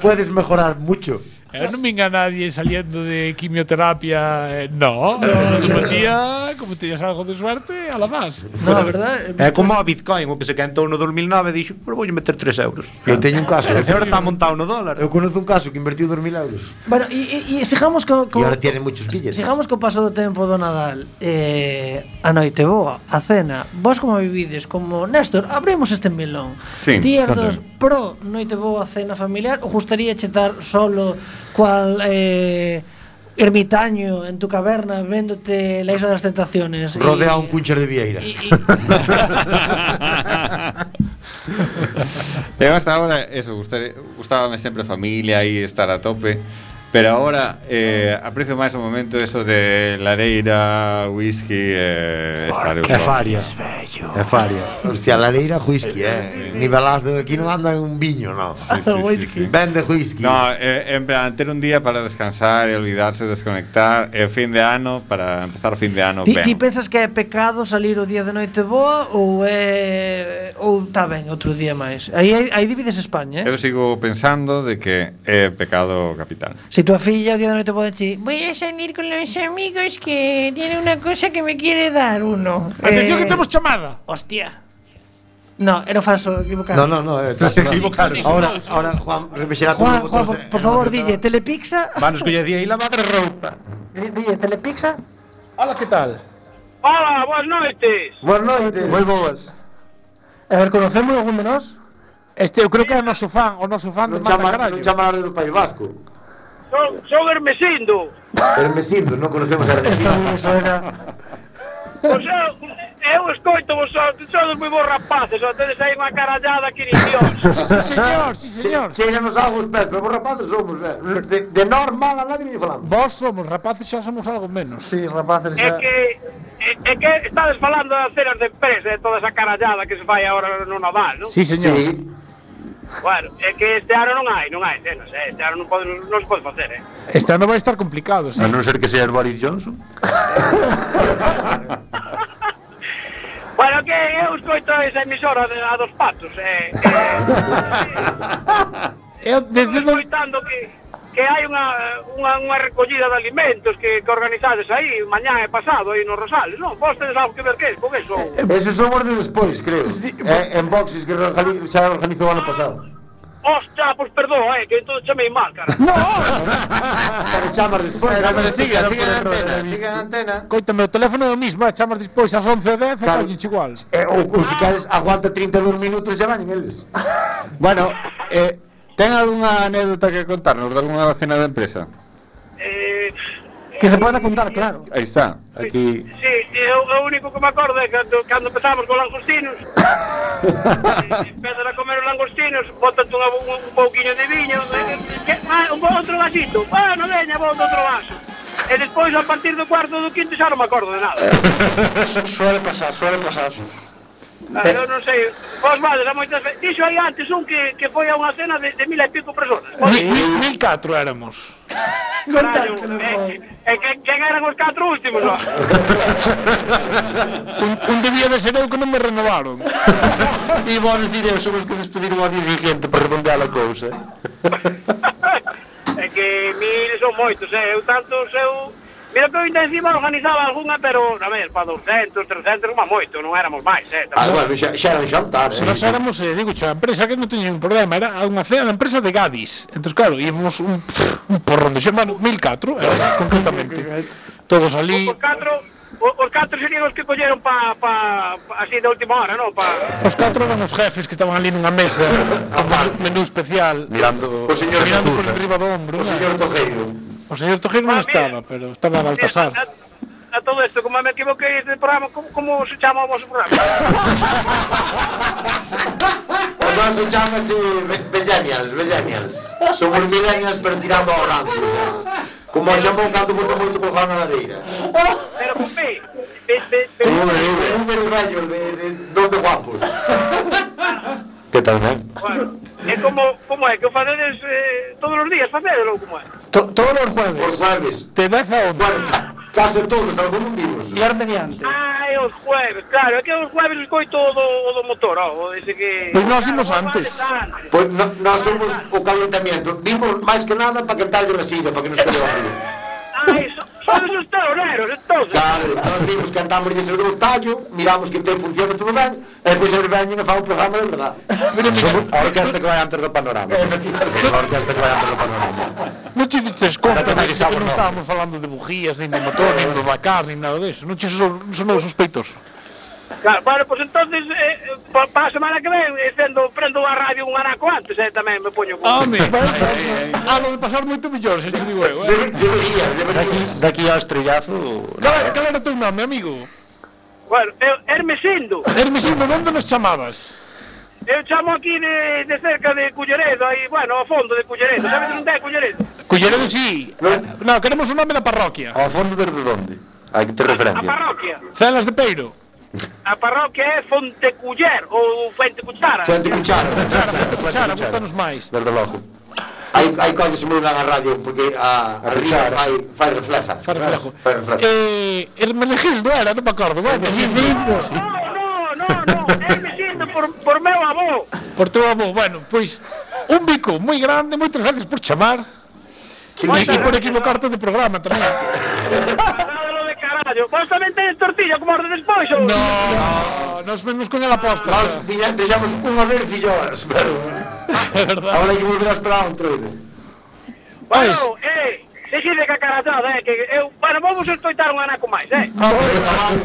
Puedes mejorar mucho. Eh, non vinga nadie saliendo de quimioterapia. Eh, no, a ludopatía, como teñas algo de suerte, a la vas. No, a verdad. É como a Bitcoin, o que se quentou no dos mil nove dixo, pero voulle meter tres euros. Eu teño un caso. E agora está montado no dólar. Eu conozo un caso que invertiu dos mil euros. Bueno, e, e, e sigamos co, co E ahora tiene muchos billetes. Sigamos co paso do tempo do Nadal. Eh, a noite boa, a cena. Vos como vivides? Como Néstor, abrimos este melón. Sí, Días conta. dos pro noite boa, cena familiar, ou gustaría chetar solo cual eh, ermitaño en tu caverna véndote la Isla das Tentaciones? y- Rodeado un cuncher de vieira. y- y- Eu hasta ahora, eso, gustare, gustábame sempre a familia e estar a tope. Pero ahora eh, aprecio máis o momento eso de lareira, whisky e eh, estar eu É só. faria. É faria. Hostia, la leira whisky, eh. Nivelazo, aquí non anda un viño, no. Sí, sí, sí, sí. Vende whisky. No, eh, en plan, ter un día para descansar e olvidarse, desconectar. E o fin de ano, para empezar o fin de ano Ti, ben. ti pensas que é pecado salir o día de noite boa ou é ou está ben outro día máis? Aí aí, aí divides España, eh? Eu sigo pensando de que é pecado capital. Si tu filla o día de noite pode ti, voy a salir con los amigos que tiene una cosa que me quiere dar uno. Atención Eh, que temos chamada. Hostia. No, era falso, equivocado. No, no, no, eh, estás Equivocaron. Ahora, ahora Juan remexerá Juan, todos Juan, os por, botones, eh, por favor, dille, Telepixa. Vanos colle día e lavar a roupa. Di- Dille, Telepixa. Hola, que tal? Hola, boas noites. Boas noites. Moi boas. A ver, conocemos algún de nós? Este, eu creo que é o noso fan, o noso fan de Non Mata chama, Carallo. non chama a do País Vasco. Son, son Hermesindo. Hermesindo, non conocemos a Esto Hermesindo. me suena. Pois eu, eu escoito vos, sodes moi bons rapaces, só tedes aí unha carallada que ni Dios. Sí, señor, sí, señor. Cheiranos algo os pés, pero vos rapaces somos, eh. De, de normal a nadie me falamos. Vos somos rapaces, xa somos algo menos. Sí, rapaces, É xa. que é, é que estades falando das cenas de empresa e toda esa carallada que se fai agora no Nadal, non? Sí, señor. Sí. Bueno, é que este ano non hai, non hai cenas, eh? Este ano non, pode, non se pode facer, eh? Este ano vai estar complicado, sí. A non ser que sea el Boris Johnson. Bueno, que eu escoito esa emisora de, a dos patos, eh? eh Eu Estou desde no... escoitando que, que hai unha, unha, unha recollida de alimentos que, que organizades aí mañá e pasado aí no Rosales, non? Vos tedes algo que ver que con eso? Eses son os de despois, creo. Eh, en boxes que organi- xa organizou o ano pasado. Hostia, pois perdón, eh, que entón chamei mal, cara. Pero chamas despois. Pero siga, Pero siga por en error, antena, eh, siga en antena. Coítame, o teléfono é o mismo, eh, chamas despois ás once e dez e Claro. collenche igual. Eh, ou, ou se queres, aguanta trinta e dous minutos e xa van eles. Bueno, eh, ten algunha anécdota que contarnos de algunha cena de empresa? Eh, Que se poda contar, claro. Aí está, aquí. sí, eu, o único que me acordo é cando, cando empezamos con langostinos. eh, empezan a comer os langostinos, botan un, un, un pouquiño de viño, eh, que, ah, un outro vasito, ah, non veña, bota outro vaso. E despois, a partir do cuarto do quinto, xa non me acordo de nada. Suele pasar, suele pasar. Ah, eu non sei, vos vades a moitas veces. Dixo aí antes un que, que foi a unha cena de, de mil e pico personas. Mil, mil, mil catro éramos. Carallo, eh, eh, que, quen eran os catro últimos, ó? Un, un debía de ser eu que non me renovaron. E vou dicir eu, somos que despediron ao día siguiente para redondear a cousa. É que mil son moitos, eh? Eu tantos, eu... Mira que eu ainda encima organizaba algunha, pero, a ver, para doscientos, trescientos, má moito, non éramos máis, eh. Ah, bueno, xa, xa era un xantar, eh. Nós éramos, eh, digo, a empresa que non teña ningún problema, era unha cena da empresa de Gadis. Entón, claro, íbamos un, un porrón de xermano, mil catro, era, concretamente. Todos ali. Os catro, os catro serían os que colleron pa, pa, pa así de última hora, non? Pa... Os catro eran os jefes que estaban ali nunha mesa, con menú especial, Mirando o señor mirando por Chazuza. enriba do ombro. O señor Tojeiro. O señor Tojeiro non Ah, mira. estaba, pero estaba Baltasar. A, a todo isto, como me equivoquei de programa, como, como se chama o vosso programa? O noso chamase Millennials, Millennials. Somos Millennials, pero tirando ao rancio. Como o xamón cando botou moito con Juan na lareira. Pero con P. P, P, P. Números vellos de, de dos de guapos. Que tal, eh? Bueno, é como, como é, que o facedes eh, todos os días, facedelo, como é? To- todos os Os jueves. jueves. De dez a once. Bueno, ca- case todos, algúns vivos. Liar mediante. Ah, é os jueves, claro, é que os jueves escoito o do, o do motor, ó, o ese que... Pois nós Claro, imos vos antes. vales antes. Pois no, nós somos o calentamiento. Vimos máis que nada para cantarlle la silla, para que nos quede barrio. Ai, so, sodes os teoreros, entonces. Claro, nós vimos, cantamos e sobre o tallo, miramos que te funciona todo ben, e depois eles veñen e fan o programa de verdad. Somos a orquesta que vai antes do panorama. Efectivamente. A orquesta que vai antes do panorama. Non che dices conta de que Aterrizamos, non no. estábamos falando de bujías, nin do motor, nin do Dakar, nin nada deso. Non che son, sonou sospeitoso. Claro, bueno, pues entonces, eh, para pa a semana que ven, eh, sendo, prendo a radio un anaco antes, eh, tamén me poño con... Home, ah, lo de pasar moito mellor, se te digo eu, eh. Debe- Debería, Daqui, debería. daqui ao estrellazo... Cal, cal era o teu nome, amigo? Bueno, eu, Hermesindo, Hermesino, onde nos chamabas? eu chamo aquí de, de cerca de Culleredo, aí, bueno, ao fondo de Culleredo, sabes onde é Culleredo? Culleredo, sí. No, queremos o nome da parroquia. Ao fondo desde onde? Hai que ter A referencia. parroquia. Celas de Peiro. A parroquia é Fonteculler, ou Fuente Cuchara. Fuente cuchara. Cuchara, Fuente Cuchara, gustanos máis. Desde logo. Hai, hai cousas moi ben a radio, porque a, a ría fai, fai refleja. Fai reflejo. Fai refleja. Eh, Hermenegildo era, non me acordo, bueno. Hermenegildo. No, no, no, no, Hermesindo por, por meu avó. Por teu avó, bueno, pois un bico moi grande, moitas gracias por chamar. E Moitas por gracias, equivocarte de programa tamén. Nada de carallo. Vos tamén tedes tortilla como orde despois, ou? No, nos vemos con el aposta. Nós viña- deixamos unha vez filloas, pero... É verdade. Ahora hai que volver a esperar un troide. Bueno, Pois. eh, se xide que a carachada, eh, que eu... Bueno, vamos escoitar un anaco máis, eh?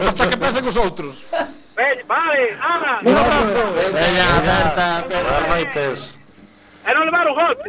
Hasta que empecen os outros. Ven, vale, ala, Un abrazo. Veña, Berta, buenas noites. e non levar un golpe.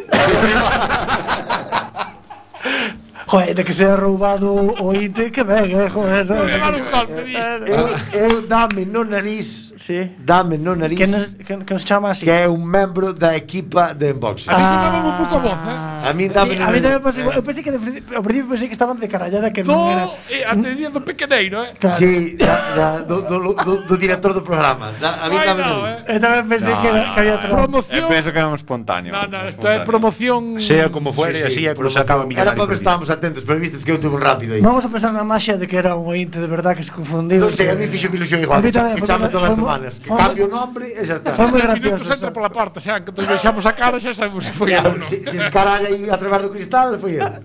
Joder, de que sea roubado o inte, que ben, eh, joder. Non levar un golpe, dis. Eu, eu dame no nariz, Sí. dame no nariz, Que nos, que, que nos chama así. que é un membro da equipa de Unboxing. A mí se me va un pouco a voz, eh. A mí Sí, dame a mí tamén pasou igual. Eu pensei que de, ao principio pensei que estaban de carallada que non era. Do, eh, a teoría do pequeneiro, eh. Claro. Sí, da, da, do, do, do, do director do programa. Da, a mí Ai, dame no, no. eh. Eu tamén pensei que, era, que había trampa. Promoción. Eu penso que é un espontáneo. No, no, un isto é espontáneo. promoción. Sea como fuere, así é como se acaba Era millonario. para ver se estábamos atentos, pero vistes que eu tuve un rápido aí. Vamos a pensar na maxia de que era un ointe de verdad que se confundiu. Non sei, a mí fixo ilusión igual, A mí que, cha- tamén, que foi chame moi- todas as foi moi- semanas. Que foi cambio o moi- nombre e xa está. Foi moi Minutos gracioso. entra pola porta, xa, que nos veixamos a cara, xa sabemos se foi Claro, eu, non? se, se escaralla aí a través do cristal, foi ele.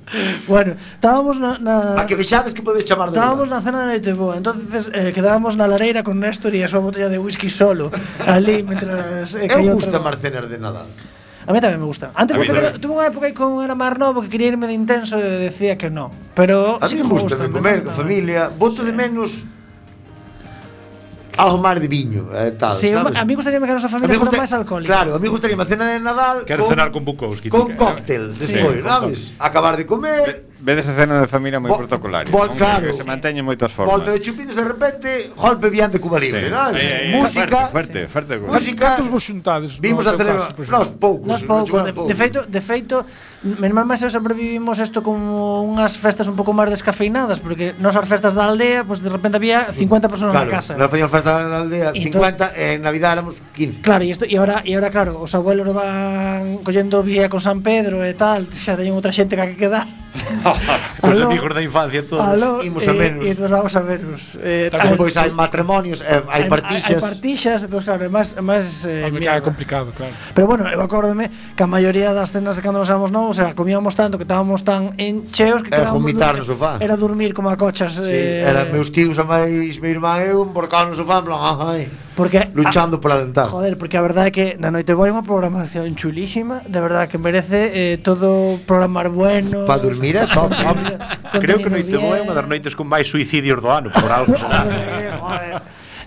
Bueno, estábamos na, na A que vexades que podes chamar de Estábamos verdade. na cena de noite boa, entonces eh, quedábamos na lareira con Néstor e a súa botella de whisky solo, ali, mentras eh, Eu caía gusta outra- Marcenas de Nadal. A mí tamén me gusta. Antes A de mí pequeno, tamén. tuve unha época aí con era máis novo que quería irme de intenso e decía que no. Pero A sí mí que me gusta. gusta me comer encanta. con familia, boto de menos algo máis de viño e tal, Sí, sabes? a mí gustaría que a nosa familia fora gusta- máis alcohólica. Claro, a mí gustaría a cena de Nadal Quero con, cenar con Bukowski. con tú que- cóctel despois, con sabes? Acabar de comer, Vedes a cena de familia moi Vo- protocolaria. vol- non? claro. Que se manteñen moitas formas. volta de chupines de repente, golpe bien de Cuba Libre, Sí. sabes? Sí, sí, Música, Fuerte, fuerte, fuerte. música. Cantos vos xuntades? Vimos no a teu celebrar, caso, por nós exemplo? poucos, Nos poucos, de, poucos. de feito, de feito, menos mal máis eu sempre vivimos isto como unhas festas un pouco máis descafeinadas, porque nos as festas da aldea, pues de repente había cincuenta personas Claro, na casa. nós facíamos festa da aldea E cincuenta e en Navidad éramos quince. Claro, e isto e ahora e ahora claro, os abuelos van collendo vía con San Pedro e tal, xa teñen outra xente que hai que quedar. Os Aló. amigos da infancia todos. Aló, Imos a eh, menos. e nos vamos a veros. Eh, E despois hai matrimonios, e hai partixas. Hai partixas, entón claro, é máis, é máis eh, Me cae mierda. complicado, claro. Pero bueno, eu acórdome que a maioría das cenas de cando nos éramos novos, era comíamos tanto que estábamos tan encheos que Era quedábamos vomitar dur- no sofá. Era dormir como a cochas. Sí, eh, era meus tíos a máis meu irmán e eu emborcado no sofá en plan, ai, porque luchando pola a, dentada. Joder, porque a verdade é que na Noite Boa é unha programación chulísima, de verdade que merece eh, todo programar bueno. Pa dormir é top. Creo que Noite Boa é unha das noites con máis suicidios do ano, por algo será.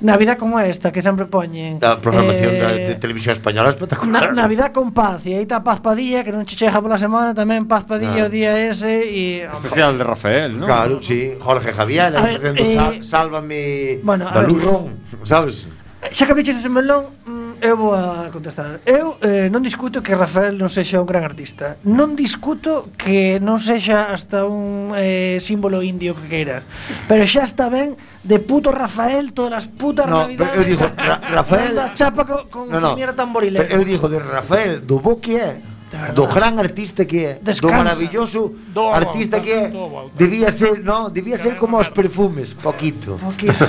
Navidad como esta que sempre poñen. A programación eh, da, de televisión española é Na, espectacular. Navidad con paz, e aí está Paz Padilla, que non che chega pola semana, tamén Paz Padilla Ah. o día ese e Especial de Rafael, ¿no? Claro, sí, Jorge Javier, A ver, facendo eh, sal, Sálvame bueno, a da ver. Luz Ron, sabes? xa que abriches ese melón, mm, eu vou a contestar. Eu eh, non discuto que Rafael non sexa un gran artista. Non discuto que non sexa hasta un eh, símbolo indio que queiras. Pero xa está ben de puto Rafael todas as putas No, navidades. pero eu digo, Ra- Rafael- dando a chapa co, con No, no. señora tamborilera. Pero eu digo de Rafael, do bo que é, verdade. do gran artista que é, Descansa. do maravilloso Dou a artista volta, que é, dou a volta. debía ser, no, debía ser como os perfumes, poquito. Poquito.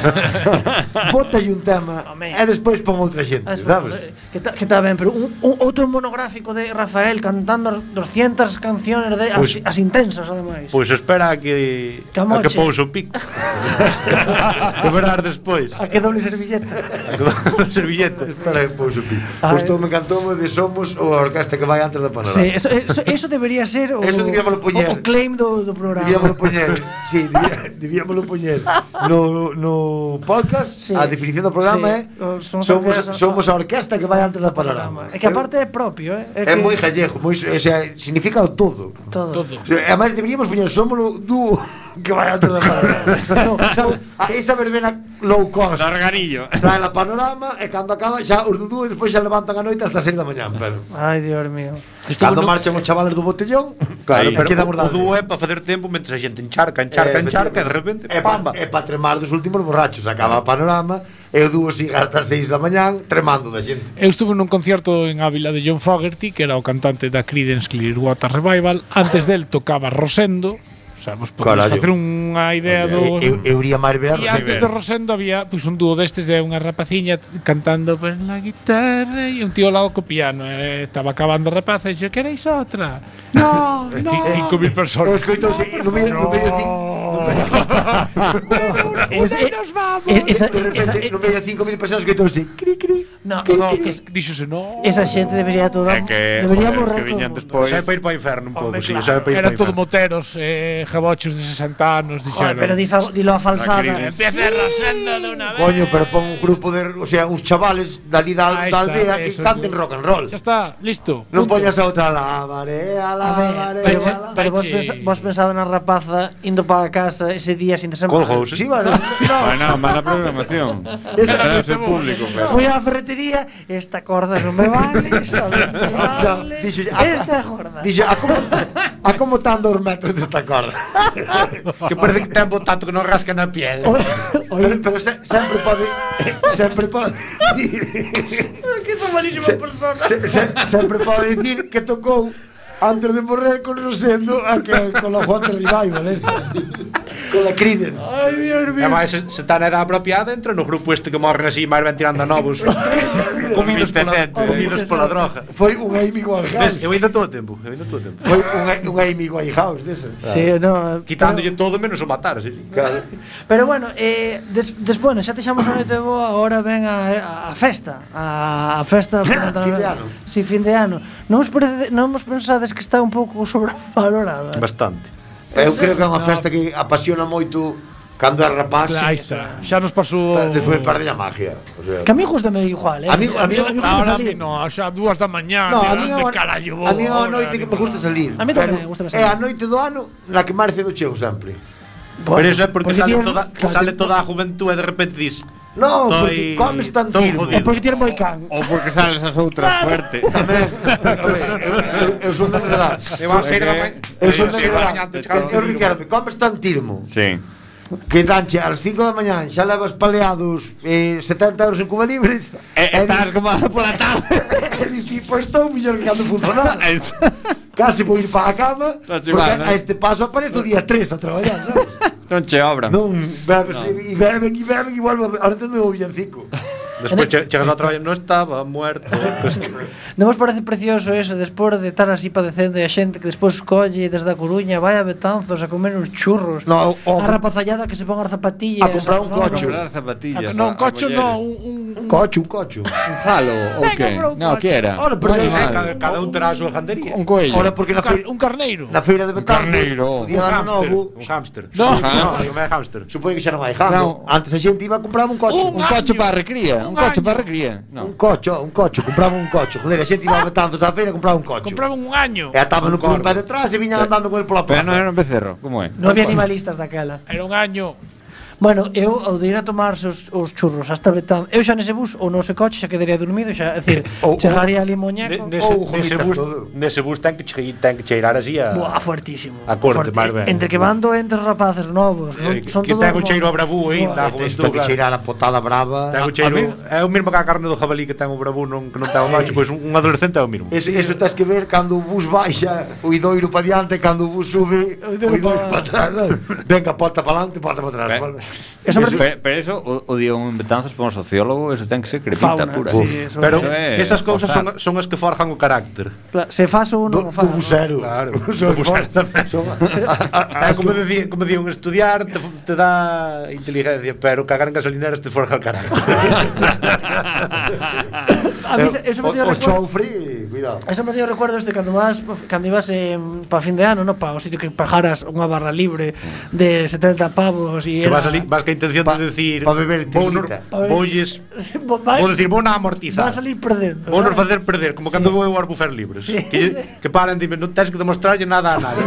Bótalle un tema Home. e despois pon outra xente, Ah, sabes? Que está que tá ben, pero un, un outro monográfico de Rafael cantando doscientas canciones de Pois- as, as intensas ademais. Pois espera a que Que a amoche. que pouso o pico. Que verás despois. A que doble servilleta. A que dou servilleta. Espera, pois o pi. Ai. Gostou, me encantou de Somos o a orquesta que vai antes da panorama. Sí, eso, eso, eso debería ser o, Eso debíamolo poñer. o, o claim do, do programa. Debíamolo poñer, sí, debía, debíamolo poñer no, no podcast. Sí. A definición do programa Sí. é O- somos somos, orquesta- somos a orquesta que vai antes da panorama. É que aparte é propio, eh? É que moi gallego, moi, o sea, significa o todo. todo. Todo. O sea, además deberíamos poñer somos o dúo que vai antes da panorama. No, sabes? A esa verbena low cost. Darganillo. Trae la panorama e cando acaba xa os do dúo e despois xa levantan a noite hasta as seis da mañán, pero Ai, Dios mío. cando marchan os chavales do botellón, Claro, aí pero quedan o, os o dúo é para facer tempo mentre a xente encharca, encharca, Eh, encharca e de repente, é pa, pamba. é pa tremar dos últimos borrachos. Acaba a panorama e o dúo sigue hasta as seis da mañán tremando da xente. Eu estuve nun concierto en Ávila de John Fogerty, que era o cantante da Creedence Clearwater Revival. Antes del tocaba Rosendo. O sea, vos podemos Carallo. facer unha idea do... Eu, eu iría máis ver E antes de Rosendo había pues, un dúo destes de unha rapaciña t- cantando por la guitarra e un tío ao lado co piano. E estaba acabando a rapaza e dixo, queréis outra? No, no. Cinco mil Eu personas. escoito no medio no medio cinco Es, eh, nos vamos. eh, esa, de esa, repente no medio de cinco mil personas escoito así. Cri cri. no, No, es, es, díxose, no. esa xente debería toda É que, debería joder, os morrer que todo viñan o mundo. despois. Sabe para ir para o inferno un pouco, Hombre, sí, claro. sabe para ir Eran para o todo inferno. moteros, eh, jabochos de sesenta anos, Joder, dixeron. pero dis algo- dilo a falsada. Creedence. Empieza Rosendo de una vez. Coño, pero pon un grupo de, o sea, uns chavales dali da, Ahí da está, aldea que eso, canten yo- rock and roll. Xa está, listo. Non punto. poñas a outra la marea, la A ver, marea. pero, Peche, pero vos, peche. pensa, vos pensado na rapaza indo para casa ese día sin semana. Colgous. Sí, vale. Bueno, mala programación. Esa Era era ese muy público, pero. Fui á ferretería, esta corda non me vale, esta non me vale. Dixo, Esta corda. Dixo, a como, a como tan dos metros desta corda. Que parece que ten tanto que non rasca na piel. Pero, pero se, sempre pode sempre pode Que son malísima se, persona. se, se, sempre pode dicir que tocou antes de morrer con Rosendo a que con la Juan Revival esta. Con la Creedence. Ai, Dios E mío. máis, se, se tan era apropiada, entra no grupo este que morren así, máis ben tirando a novos. comidos pola, veintisiete, comidos pola droga. Foi un Amy Ves, Winehouse. eu ainda todo o tempo, eu ainda todo o tempo. Foi un, un Amy Winehouse dese. Sí, no, Quitándolle todo menos o matar, sí. Claro. Pero bueno, eh, des, des, bueno, xa deixamos a noite boa, agora ven a, a, a festa, a, a festa Fin de ano. Si, sí, fin de ano. Non vos, parece, non vos pensades que está un pouco sobrevalorada? Bastante. Eu creo que é unha festa que apasiona moito cando é rapaz. Aí está. Xa nos pasou. Despois perde a magia. O sea, Que a mí justame igual, eh? A mí- a mí- gusta Ahora a salir. mí no, xa dúas da mañá, no, a de mí é onde unha- carallo vou a mí é unha ahora, noite que me digo. gusta salir. A mí tamén pero gústame É salir. a noite do ano na que máis cedo chego sempre. Bueno, Pero eso é porque, sale, tienes- toda, claro, sale tienes- toda a juventud e de repente dis No, Estoy- porque comes tan estoy tirmo. jodido. É porque tienes moi can. O porque sales as outras fuerte. Tamén. eu, eu, eu son da verdade. E vas a ir da mañá. Eu son da Sí, verdade. mañá, te Eu, cago eu en refírame, comes tan tirmo Sí. que danche ás cinco da mañá xa levas paleados eh, setenta euros en Cuba Libres. E estás como pola tarde. E dis, tipo, estou mellor que cando funcionaba. casi vou ir para a cama, Non che porque vai, non? a este paso aparezo o día tres a traballar, sabes? Non che obran. Non, bebes e beben e beben e vuelvo, ahora entendo o villancico. Despois che- chegas ao traballo, non estaba muerto. Non vos parece precioso eso, despois de estar así padecendo e a xente que despois colle desde a Coruña, vai a Betanzos a comer uns churros, No, o- a rapazallada que se pon as zapatillas, A comprar un no, cocho. Comprar zapatillas. Non, a- a cocho non, mulleres. un, un, Un cocho, un cocho. Un jalo, ou Venga, que? compra un No, coche. que era? Ora, pero Un non sei, animal. Cada, cada un terá a súa jandería. Un coello. Ora, porque na car, feira, un carneiro. na feira de Betanzos, carneiro. o día do ano novo, Un hámster. No. Supoño que non, non é hámster. supoño que xa non hai jambo. Non. Antes a xente iba a comprar un coche. Un Un coche año. para a recría. Un Un coche año. para a recría. No. Un cocho, un cocho, compraba un cocho. Joder, a xente iba a Betanzos á feira e compraba un cocho. Compraban un año. E ataban con un pé detrás e viñan andando con el pola Pero plaza. non era un becerro, como é? Non había animalistas daquela. Era un año. Bueno, eu ao de ir a tomarse os, os churros hasta Betán, eu xa nese bus ou no ese coche xa quedaría dormido, xa, é dicir, Ou- chegaría ali Ne- moñeco. Nese, Ou nese, gomitas bus, todo. nese bus ten que, che, ten que cheirar así a... Buah, fuertísimo. A corte, máis ben. Entre que van doentes os rapaces novos, son, Eh, son que todos ten o mo- cheiro a bravú Buah, ainda, a Isto juventud, que claro. cheirar a potada brava. Ten o cheiro, é o mesmo que a carne do jabalí que ten o bravú non, que non ten o macho, pois un, un adolescente é o mesmo. Eso, eso tens que ver cando o bus baixa, o idoiro para diante, cando o bus sube, O o idoiro idoiro pa- para atrás. ¿no? Venga, pota para adelante, pota para atrás. Ve- Bueno. Eso me- Pero, pero eso, o, o dio un Betanzos para un sociólogo, eso ten que ser crepita Fauna, pura. sí, Uf. eso Pero Eso é esas cousas son, posar. son as que forjan o carácter. Claro, se faz ou Do, non do faz. busero. Claro, Son- do busero tamén. son- a- a- É as como que- decía, como decía un estudiar te, te dá inteligencia, pero cagar en gasolineras te forja o carácter. A mí se- eso me o, dio o recuerdo. choufre, cuidado. Eso me dio recuerdo este cando vas cando ibas eh, para fin de ano, no, para o sitio que pajaras unha barra libre de setenta pavos e Que era vas ali, vas ca intención Pa- de decir pa beber vou nor- tirita. Pa beber- voulles Va- vou decir, vou na amortizar. Va a salir perdendo. Vou nos sabes? facer perder, como Sí. cando vou eu aos buffet libres. Sí, que, sí. que paran dime, non tens que demostrarlle nada a nadie.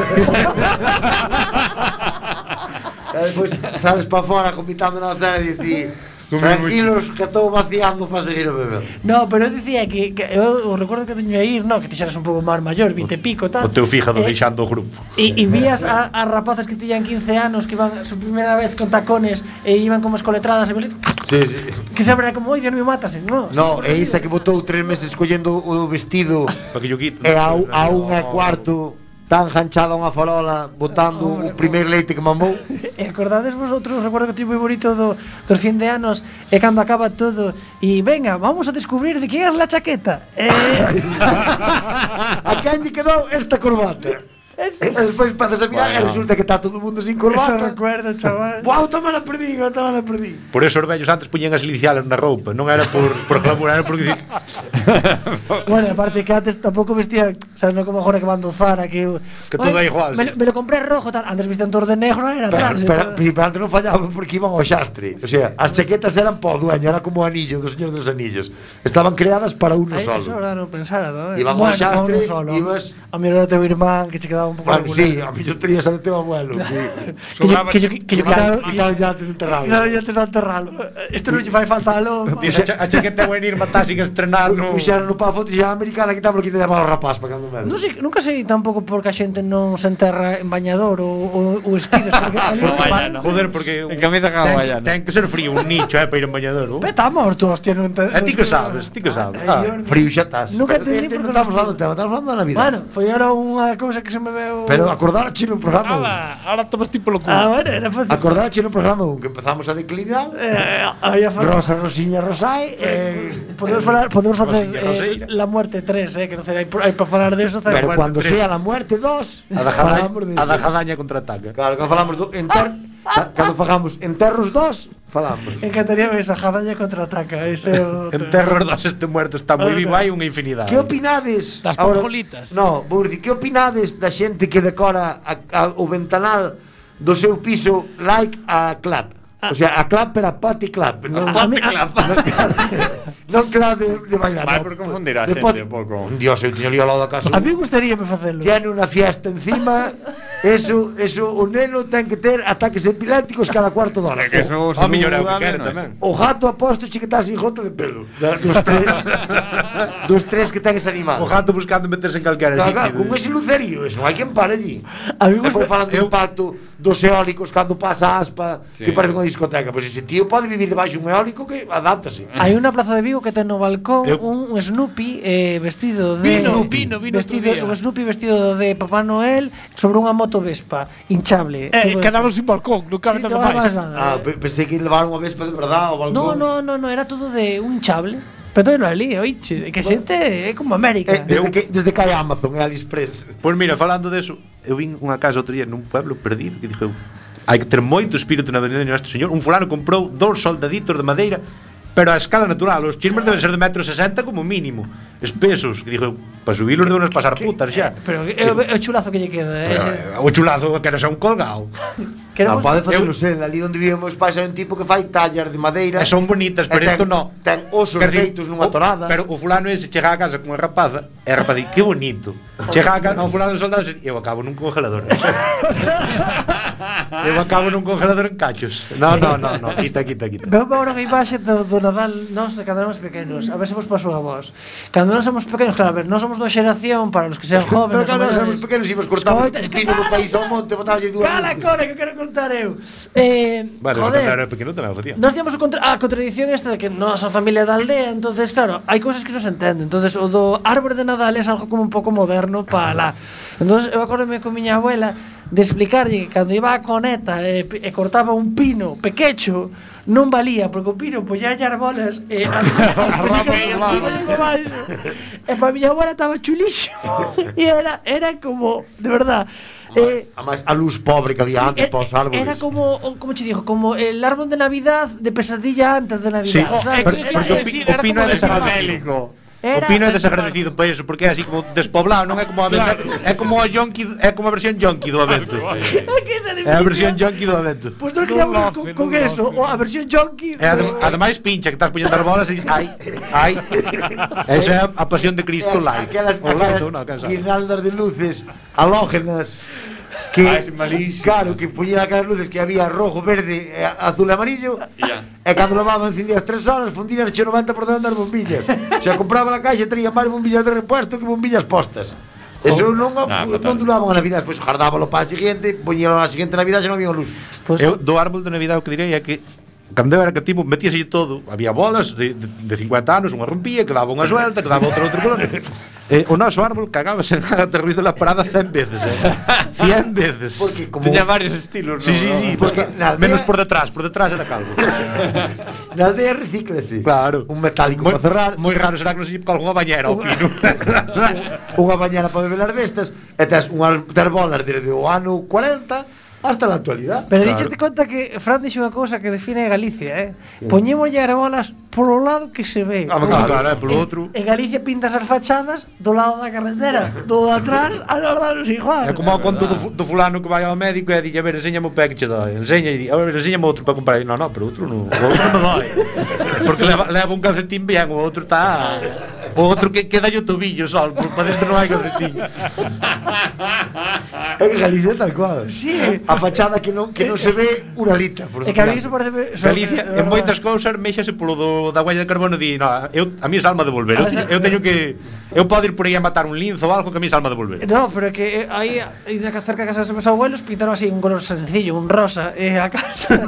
E despois sales para fora comitando na cena e dices, tranquilos que estou vaciando para seguir a beber. No, pero eu dicía que, que eu, eu recuerdo que teño a ir, no, que ti xeras un pouco máis maior, vinte e pico, tal. O teu fíjado Eh, deixando o grupo. E, e vías a, a rapazas que tiñan quince anos que iban su primeira vez con tacones e iban como escoletradas e Sí, sí. que sempre era como, oi, Dios mío, mátase, no. No, e isa que botou tres meses collendo o vestido Para que yo quito. e a, a unha e cuarto tan ganchada unha farola botando o primeiro leite que mamou. E acordades vosotros, recuerdo que tivo moi bonito do, dos fin de anos e cando acaba todo e venga, vamos a descubrir de que é la chaqueta. E, A quen lle quedou esta corbata? E despois pasas a mirar e Bueno. resulta que está todo o mundo sin eso corbata. recuerdo, chaval. Buau, toma la perdí, toma la perdí. Por eso os vellos antes puñen as iniciales na roupa, non era por, por glamour, era porque Bueno, aparte que antes tampouco vestían, sabes, non como agora que van do Zara que eu, Que todo "Ai, é igual, Me, sí". lo- me lo compré rojo tal, antes vestían todos de negro, era Pero, atrás. pero, pero antes non fallaban porque iban ao xastre. O sea, as chaquetas eran para o dueño, era como o anillo do Señor dos Anillos. Estaban creadas para uno Ai, eso solo. ahora non pensara, ¿no? Iban ao Bueno, xastre, uno solo. ibas- A mí era o teu irmán que che quedaba un pouco Bueno, regular. sí, a mí yo tenía esa de teu abuelo. Que yo- que yo- que yo quitaba- Quitaba ya antes de enterrarlo. Claro, ya te dan enterralo. Isto non lle fai falta alo. Dice, a, a chaqueta é venir matar sin estrenar no... Puxeron no pa foto e xa americana quitaba lo que te llamaba o rapaz para cando me. Non sei, nunca sei tampouco porque a xente non se enterra en bañador ou, ou, ou espidos porque ali No, o que vaya, pa- no. Joder, porque En camisa ten, hawaiana. ten que ser frío un nicho, eh, para ir en bañador. Uh. Peta morto, hostia, non te... E ti que sabes, ti que sabes. Ai, Ah. eu- Frío xa estás. Nunca Pero entendí este por non que estamos los- falando do tema, estamos falando da Navidad. Bueno, foi era unha cousa que se me veo... Pero acordarche no programa. Ala, ahora tomas tipo lo culo. Ah, bueno, era fácil. Acordarche no programa un que empezamos a declinar. Eh, aí a fa- Rosa, Rosiña, Rosai. Eh, Podemos falar, podemos facer Rosilla, eh, Rosilla. la muerte tres, eh, que non sei, hai, hai para falar de eso, pero muerte cuando tres. sea la muerte dos, A da jadaña, falamos de a da eso. jadaña contraataca. Claro, cando falamos do enter, ca- cando fagamos enterros dos, falamos. encantaría ver esa jadaña contraataca, ese é o En Terror dos este muerto está moi vivo, hai unha infinidade. Que opinades? Das Ahora- panjolitas. No, vou dicir, que opinades da xente que decora a, a, o ventanal do seu piso like a clap? O sea, a clap pero a pati clap. Non, A mí- a- non clap de, de bailar. Vai no. por confundir a De xente pati- un pouco. Dios, eu tiño lío ao lado da casa. A mí gustaría me facelo. Tiene una fiesta encima Eso, eso, o neno ten que ter ataques epilépticos cada cuarto de hora. Que eso O mellor é o que seguro quere menos. tamén. O gato aposto che que está sin jota de pelo. Da- Dos tres, dos tres que ten ese animal. O gato buscando meterse en calquera Caga, sitio. con ese lucerío, eso non hai quen pare allí. A mí me Despois gusta- falando do impacto dos eólicos cando pasa a aspa, Sí. que parece unha discoteca. Pois ese tío pode vivir debaixo un eólico que adáptase. Hai unha plaza de Vigo que ten no balcón Eu- un, un Snoopy eh, vestido de Vino, vino, vino vestido, outro día. un Snoopy vestido de Papá Noel sobre unha moto Vespa hinchable. Eh, Todo quedaron esto. sin balcón, non cabe Sí, nada non hai máis. máis nada. Ah, pe- pensei que levaron unha vespa de verdade ao balcón. No, no, no, no, era todo de un hinchable. Pero todo ali, oiche, que xente é como América. Eh, desde, que, desde que hai Amazon e AliExpress. Pois mira, falando deso, eu vin unha casa outro día nun pueblo perdido que dixo, hai que ter moito espírito na venida de Nuestro Señor. Un fulano comprou dous soldaditos de madeira, pero a escala natural, os chismes deben ser de metro sesenta como mínimo, espesos, que dixo, para subilos de unas pasar putas xa. Pero é o- é o chulazo que lle queda. Pero, eh, eh, o chulazo que era xa un colgado. Non, Queremos pode facelo eu- ser, ali onde vivemos pais hai un tipo que fai tallas de madeira. E son bonitas, pero e ten- isto no. Ten osos Quer dicir, feitos nunha o- torada. Pero o fulano ese chega a casa con a rapaza, e a rapaza di, que bonito. Chega a casa, ao fulano de soldados e di, eu acabo nun congelador. eu acabo nun congelador en cachos. No, no, no, no, quita, quita, quita. Veo agora unha imaxe do, do Nadal nós de cando éramos pequenos. A ver se vos pasou a vos. Cando nós somos pequenos, claro, a ver, nós somos da xeración para os que sean Pero jóvenes. cando ou éramos menores. pequenos íbamos cortando Escoita, un pino no país ao monte, botáballe dúas Cala, luces. cora, que quero contar eu. Eh, Bueno, eso joder, cando era pequeno tamén o facía. Nos tíamos o contra a contradición esta de que non son familia da aldea, entonces claro, hai cousas que non se entenden. Entonces o do árbore de Nadal é algo como un pouco moderno para lá. Entonces eu acordome con miña abuela de explicarlle que cando iba a coneta e, e cortaba un pino pequecho non valía, porque o pino poñalle as bolas e as, as pelicas e para miña abuela estaba chulísimo e era, era como, de verdad eh, Además, a luz pobre que había sí, antes e- para os árboles. era como, o- como che dijo, como el árbol de Navidad de pesadilla antes de Navidad. Sí, ¿sabes? pero- Era- porque o, era- pi, era o pino como é de desagradecido. Era- O pino é desagradecido para eso, porque é así como despoblado, non é como a claro. É como a yonki, é como a versión yonki do Avento. que esa É a versión yonki do Avento. Pues nos quedamos con, con eso, o a versión junkie. E adem, ademais pincha que estás poñendo as bolas e ai, ai. Esa é a pasión de Cristo light. Aquelas, O light, aquelas non, quen sabe. guirnaldas de luces halógenas que, Ah, es malísimo. claro, que poñían aquelas luces que había rojo, verde, eh, azul e amarillo. Ya. E cando levaban encendías tres horas, fundían che noventa por cento das bombillas. O sea, compraba la caixa e traía máis bombillas de repuesto que bombillas postas. Eso non, Ah, non fatal. duraban a Navidad, despois jardábalo para a siguiente, poñíalo a seguinte Navidad e non había luz. Pues, Eu do árbol de Navidad o que direi é que cando eu era cativo metíase todo, había bolas de, de, de cincuenta anos, unha rompía, quedaba unha suelta, quedaba outra outro color. Eh, o noso árbol cagábase en aterrido la parada cien veces, eh. cien veces. Porque como Tenía varios estilos, Sí, ¿no? sí, sí, Porque porque na aldea- menos por detrás, por detrás era calvo. na aldea recíclase. Claro. Un metálico Moi, para cerrar, moi raro será que non se lle algunha bañera ao pino. unha bañera para beber as bestas e tes unhas ter bolas desde o ano cuarenta hasta a actualidade. pero claro. Dicheste conta que Fran dixo unha cousa que define a Galicia, eh? Poñémoslle as bolas polo lado que se ve. Ah, claro, claro, eh, polo En- outro. En Galicia pintas as fachadas do lado da carretera, do atrás, a los lados igual. É como o conto do, fu- do fulano que vai ao médico e di, a ver, enséñame o pé que che dói. Enseña e di, a ver, enséñame outro para comprar. E, no, no, pero outro non, o outro non dói. Porque leva, leva un calcetín bien, o outro está... O outro que queda o tobillo só, por para dentro non hai calcetín. É que Galicia é tal cual. Sí. A fachada que non que non se ve unha lita, por E que a mí iso parece Galicia, en moitas cousas, méxase polo do, da huella de carbono di, no, eu, a mí é alma de volver. Eu, eu teño que... Eu podo ir por aí a matar un linzo ou algo que a mí é alma de volver. No, pero é que eh, aí aí de cerca de casa dos meus abuelos pintaron así un color sencillo, un rosa, e a casa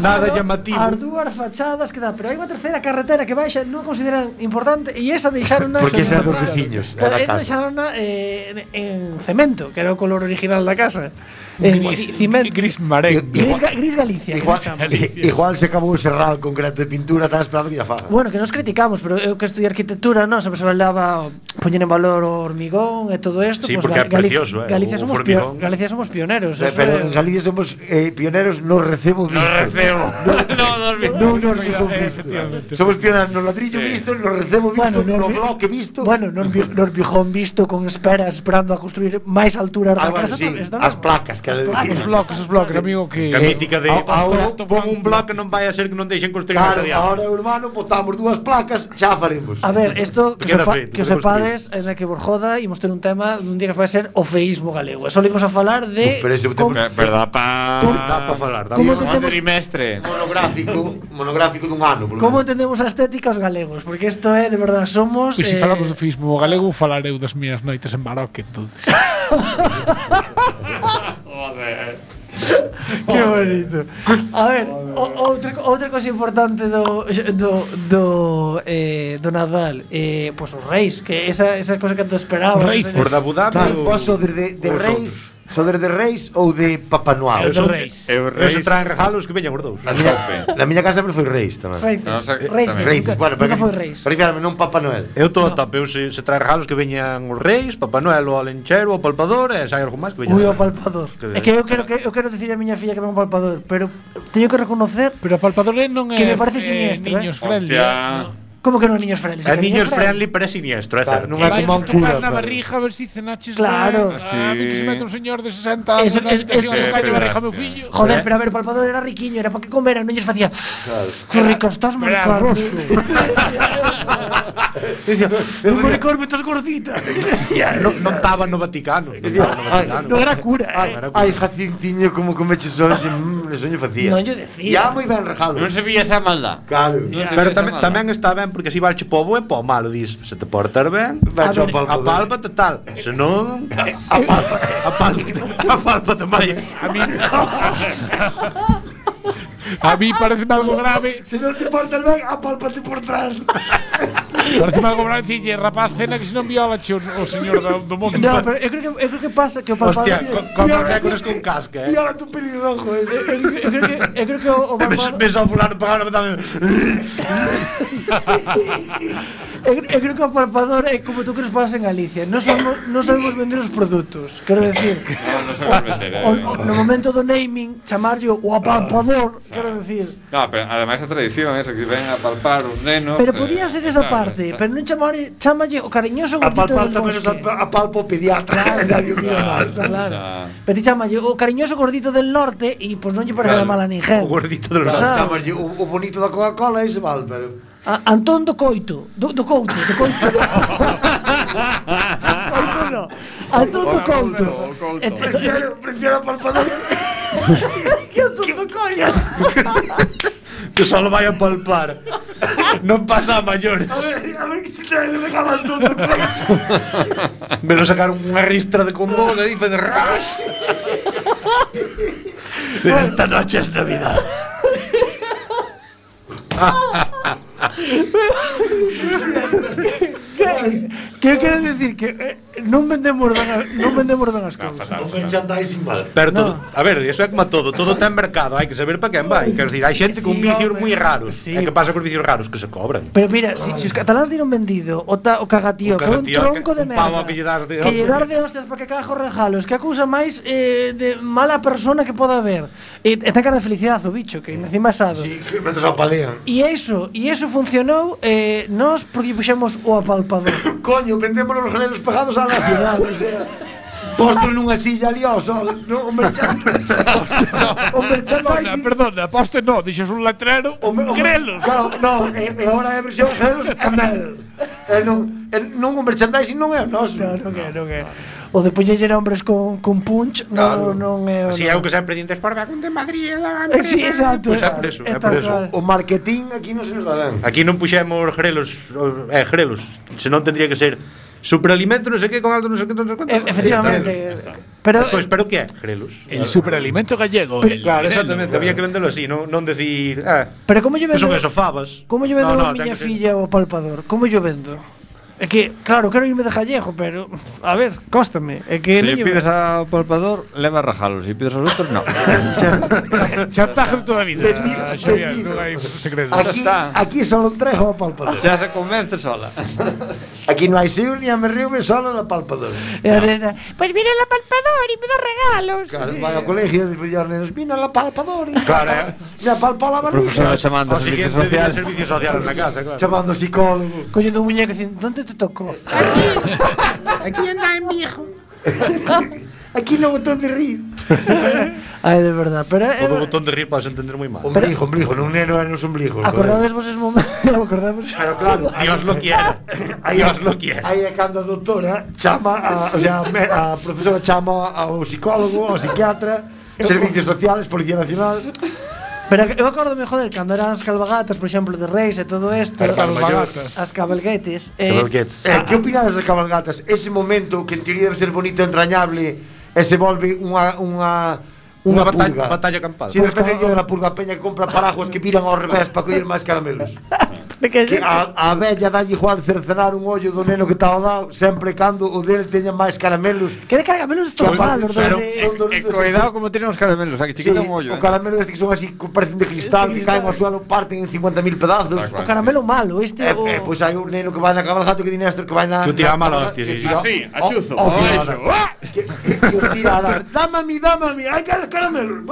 Nada solo llamativo. As dúas fachadas que dá, pero hai unha terceira carretera que baixa, non consideran importante e esa deixaron Porque esa é dos veciños, é Pero da esa casa. deixaron eh, en, en cemento, que era o color original da casa. En Gris, ci- cimento. gris marengo. Gris, Ga- gris Galicia. que Igual, se chama. igual se acabou o serral concreto de pintura, estaba esperando que ya faga. Bueno, que nos criticamos, pero eu que estudiei arquitectura, non, sempre se valaba poñer en valor o hormigón e todo isto, Sí, pues, porque é Gali- precioso, eh, Galicia o somos formigón. pio- Galicia somos pioneros, Eh, eso pero é- en Galicia somos eh, pioneros no recebo visto. No recebo. No, no, No, no recebo Eh, visto. efectivamente. Somos pioneros no ladrillo Sí. visto, no recebo visto, Bueno, no nos vi- bloque visto. Bueno, nos, vi- nos Bijón visto con esperas esperando a construir máis altura da casa sí, está as placas que le Os dicían. bloques, os bloques, amigo, que... Que a mítica de a- ahora pon un bloque non vai a ser que non deixen construir máis Claro, adiante. ahora hermano, botamos dúas placas, xa faremos. A ver, isto que, Queda sepa, feito, que o queda sepades en la que por joda imos ter un tema dun día que vai ser o feísmo galego. E só imos a falar de Uf, pero ese como, tema- Pero dá pa... Dá para falar, dá ¿Cómo pa- te- Un trimestre. monográfico, monográfico dun ano, por lo como menos. entendemos a estética os galegos, porque isto é de verdad somos Pois se eh, falamos do fismo galego, falar eu das miñas noites en Baroque, entonces. Que bonito. A ver, o- outra outra cosa importante do do do eh do Nadal, eh pois os reis, que esa esa cosa que tu esperabas. Reis, esa- Por de Abu Dhabi Claro, ou- vos sodes de, de ou Reis, sodes de Reis ou de Papá Noel? Eu de Reis. Eu Reis reis... traen regalos que veñan os dous. Na miña, na miña casa sempre foi Reis tamén. Reis. No, o sea, Reis. tamén. Reis, Nunca- bueno, nunca para foi Reis. Para fiarme, non Papá Noel. Eu todo no. top, eu se, se trae regalos que veñan os reis, Papá Noel, o Alenchero, o Palpador, e se hai algo máis que veñan. Ui, o palpador. Que- É que eu quero que eu quero decir a miña filla que é un palpador, pero teño que reconocer Pero a palpadora non é Que me parece eh, siniestro, niños eh. friendly. Hostia. como que non niños friendly. É niños friendly, pero é siniestro, é Claro, certo. non é Vai como un tocar cura. na pero- barriga a ver si cenaches Claro. ben. Sí. A mí que se mete un señor de sesenta anos Eso- na es- habitación eso- e escalle sí, barriga pero meu hostia. fillo. Joder, pero a ver, o palpador era riquiño, era para que comeran, non lles facía. Que rico estás, Era maricón. roso. Dicía, "El maricón, me estás gordita." Non non estaba no Vaticano. Non estaba no Vaticano. Non era cura, Ah, eh. era cura. Ai, Jacintiño, como comeches hoxe, mmm, eso lle facía. Non lle decía. Ya moi ben regalo. Non se vía esa maldad. Claro. Non se Pero vía esa tamén, maldad. tamén está ben porque si valche po bo e po malo dis, se te portas ben, Vai A ao ver, palpador. apálpate tal, se non apálpate, apálpate, apálpate máis. A mí A mí parece algo grave. Se non te portas ben, apálpate por trás. Parece algo grave dicirlle, rapaz, cena que se non viola che o, o señor do, do mundo. No, pero eu creo que eu creo que pasa que o palpador. Hostia, co- como récords con casca, eh. Viola tu pelirrojo. Eu creo- eu creo que eu creo que o o Ves, palpador. ves ao fulano pagando tamén. Eu, eu creo que o palpador é como tú que nos pasas en Galicia. Non sabemos, non sabemos vender os produtos. Quero decir, No, non se vai meter. o, o, no momento do naming, chamarlle o apalpador, quero decir. No, pero ademais a tradición esa que ven a palpar os nenos. Pero eh, podía ser esa claro, parte, esa- pero non chamarlle, chamalle o cariñoso gordito Apalpar del tamén bosque. os apalpo pediatra. Nadie mira máis. Claro. Xa. Pero ti chamalle o cariñoso gordito del norte e pois non lle parece Claro. mal a ninguén. O gordito de los Claro. Chamarlle o, o bonito da Coca-Cola e se val, pero... A, Antón do Coito, do, do Couto, do Coito. Coito no. Antón do Couto. O Couto. E te- Prefiero, prefiero apalpador. Que Antón do Coito. que só vai a palpar. Non pasa a maiores. A ver, a ver que se trae de regalo todo. Me lo sacaron unha ristra de condón e dice de ras. Pero esta noche es Navidad. Que eu quero dicir que eh, non vendemos ben, a- non vendemos ben as cousas. fatal. O merchandising mal. Pero todo, No. a ver, eso é como todo, todo ten mercado, hai que saber para quen vai. Quer decir, hai Sí, xente con sí, vicios home. moi raros. Sí. E que pasa cos vicios raros que se cobran. Pero mira, si, si os cataláns dieron vendido o, ta, o cagatío, O que é un cagatío, tronco que- de un pavo merda, a que lle das de que lle hostias. dar de hostias para que caga os regalos, que a cousa máis eh, de mala persona que poda haber. E, e ten cara de felicidade o bicho, que encima é asado. Sí, que mentres o palean. E iso, e iso funcionou eh, nós porque lle puxemos o apalpador. Coño, vendemos os genelos pegados á nacional, o sea... Postro nunha silla ali ao sol, no, o merchandising. o Perdona, merchandising. perdona, poste no, dixes un letrero, O me- o me- grelos. Claro, no, e, e agora é a versión genelos e mel. E non, e non o merchandising non é o noso. Non, non é, non é. O de poñer hombres con, con punch, Claro. non, non é o Así é o que sempre dientes por Vacun de Madrid, la Eh, empresa. sí, exacto. Pois é por eso, é tal por eso. cual. O marketing aquí non se nos dá ben. Aquí non puxemos grelos, o- eh, grelos, senón tendría que ser superalimento, non sei que, con alto, non sei que, non sei quanto. E- Efectivamente. Pero Pois, pero que é? Grelos. El superalimento gallego. el Claro, grelo. exactamente, había que vendelo así, non, non decir, ah, pero como lle que vendo? son eso, fabas. Como lle vendo No, no, a ten miña que ser- filla o palpador? Como lle vendo? É que, claro, quero irme de Jallejo, pero a ver, cóstame. É que Se non lle lle pides vendo. ao palpador, leva regalos. Se pides aos outros, no. Chantaje de toda a vida. Vendido, Xavier, vendido. non hai segredo. Aquí, está. aquí só entrego ao palpador. Xa se convence sola. Aquí non hai siu ni a me río me solo no palpador. E a nena, pois mira la palpador e me dá regalos. Claro, Sí. vai ao colegio e dice aos nenos, vino la palpador e Claro, eh. me apalpou la Profesora barriga. chamando O a servicios siguiente día sociales. servicios sociales na casa, claro. Chamando psicólogo. Coño do muñeco dicindo, onde te tocou? Aquí anda en viejo. Aquí no botón de rir. Ai, de verdad, pero O do eh, botón de rir podes entender moi mal. Ombligo, ombligo, non neno é nos ombligos. acordades vos ese momento, acordades. Pero claro, Dios lo quiera. aí, Dios lo quiera. aí é cando a doutora chama a, o sea, me- a profesora chama ao psicólogo, ao psiquiatra, servicios sociales, Policía Nacional. Pero eu acordome, joder, cando eran as calvagatas, por exemplo, de Reis e todo isto, As calvagatas. as cabalguetes, eh, Cabalguetes. Eh, que opinades das cabalgatas? Ese momento que en teoría debe ser bonito e entrañable e se volve unha unha Unha unha batalla, purga. batalla campal. Si de repente lle de la purga peña que compra paraguas que viran ao revés para coller máis caramelos. Que a, a bella dalle igual cercenar un ollo do neno que está ao lado sempre cando o del teña máis caramelos. que de caramelos Que todo aparte mal, os son- de... son dos- Eh, cuidado como tienen os caramelos, aquí Sí, chiquita un ollo. o eh. caramelo este que son así que parecen de cristal que caen ao suelo, parten en cincuenta mil pedazos. Tal cual. O caramelo malo, este Eh, o... eh, pois hai un neno que vai na cabalgata que di Néstor que vai na Que o tira a na- mala na- hostia, que sí, sí. tira- Así, a o- chuzo, o- o final, eso. que, que, que os tira a dar. Dame a mí, dame a mí, hai que caramelos.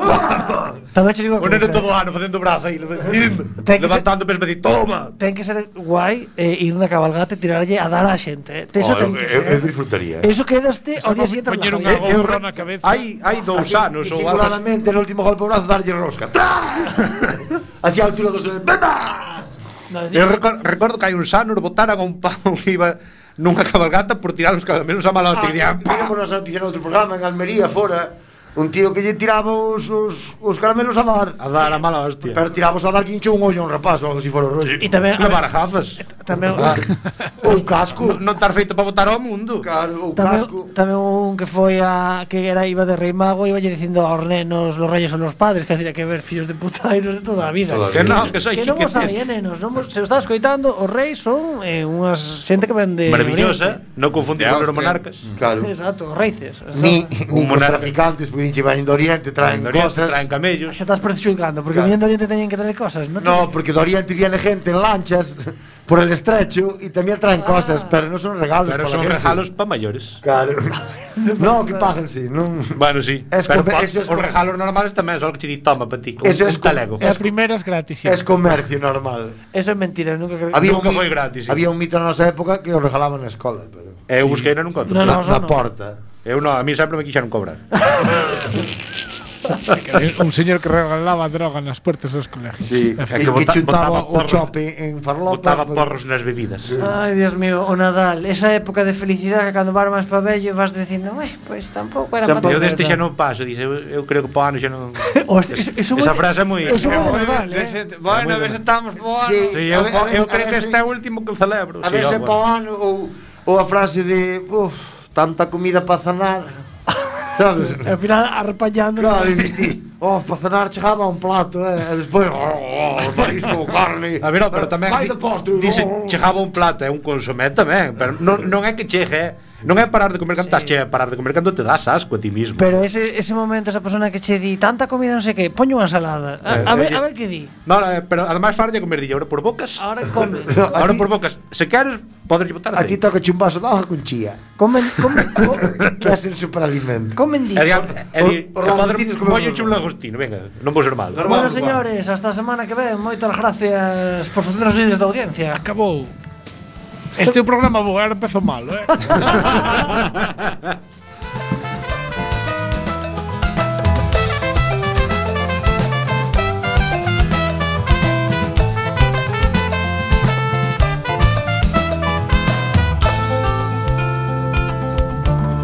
Tamén che digo O a neno cousa, todo o ano facendo brazo aí, Ten que ser- levantando peso para decir, toma. ten que ser guai eh, ir na cabalgata e tirarlle a dar á xente, eh. Eso Oh, ten eu, que eu, eu ser. disfrutaría. Eso quedaste ao día siguiente Poñer unha relajado. gorra na cabeza. Hai hai dous Así, anos ou algo así. disimuladamente no último golpe ao brazo darlle rosca. ¡Tra! Así a altura dos dedos. ¡Beba! No, Eu recordo, recordo que hai uns anos botaran a un pavo que iba nunha cabalgata por tirar os caramelos a mala hostia. Ah, Ah, Tivemos a noticia no outro programa en Almería, fora. Un tío que lle tiraba os, os, os caramelos a dar. a dar a mala hostia. Pero tiramos a dar que hinchou un ollo a un rapaz ou algo así fora o rollo. E tamén a Levar ver, a gafas. tamén Ou un casco. Non estar feito para botar ao mundo. Claro, ou tamén, casco. tamén un que foi a que era iba de rei mago, iba lle dicindo aos nenos, los reyes son los padres, que así que ver fillos de putairos de toda a vida. Toda a Que non, que soy Que non os hai, eh, chiquitete. nenos, non vos, se os está escoitando, os reis son eh, unhas xente que ven de Maravillosa, Oriente. non confundir De con os Austria. monarcas. Claro. Exacto, os reices. Ni, Un ni cos monarca. traficantes, porque dinche vain do Oriente, traen En Oriente cosas. traen camellos. Xa estás prejuzgando, porque Claro. viendo Oriente teñen que traer cosas, non? No, porque do Oriente viene gente en lanchas por el estrecho y también traen cosas, pero no son regalos. Pero para son la gente. regalos para mayores. Claro. No, que paguen, sí. Non. Bueno, sí. Es pero com- pa, eso es os com- regalos normales tamén, só que che di toma para ti. Un, Eso un es com- talego. E a primeira es gratis. Es comercio normal. Eso é mentira, nunca creo. Había Nunca un mi- foi gratis, sí. Había un mito na nosa época que os regalaban na escola, pero Eu busquei non encontro. No, na, no, na no. porta. Eu non, a mí sempre me quixeron cobrar. Un señor que regalaba droga nas puertas dos colegios. Sí, É que, que que bota- chuntaba botaba o porros. chope en farlopa. Botaba pero- porros nas bebidas. Ai, Dios mío, o Nadal, esa época de felicidade que cando vas máis pa vello vas dicindo, "Ué, pois tampouco era Tampouco para Eu deste xa non paso, dice, eu, eu creo que po ano xa non... Hostia, eso, eso Esa moi- frase é moi... Eso é é moi moi- Nadal, eh. Dese- Bueno, a ver se estamos por Sí. Sí, A eu, ver, a ver, eu a creo ver que se- este é o último que celebro. A Sí, ver se ó, pa o ano ou, ou a frase de uf, tanta comida para cenar. Sabes? Al final arpañando. Claro, e ti, oh, para cenar chegaba un plato, eh, e despois, oh, oh, marisco, carne. A ver, ó, pero tamén vai di- de postre. dice, oh. chegaba un plato, é un consomé tamén, pero non, non é que chegue, eh. Non é parar de comer cando estás che, é parar de comer cando te das asco a ti mismo. Pero ese, ese momento, esa persona que che di tanta comida, non sei que, poño unha ensalada. A, a, ver, a ver que di. No, eh, pero además farlle comer dille, ahora por bocas. Ahora come. No, a Ahora ti- por bocas, se queres, podes botar A ti aceite. toca un vaso de hoja con chía. Comen, comen, co, Que é el superalimento. comen di. E di, e di, Os- os e lamentinos podes como- molle un lagostino, venga, non vou ser mal. Bueno, señores, hasta a semana que ven. Moitas gracias por facernos líderes da audiencia. Acabou. Este é o programa bo, ahora empezou malo, eh?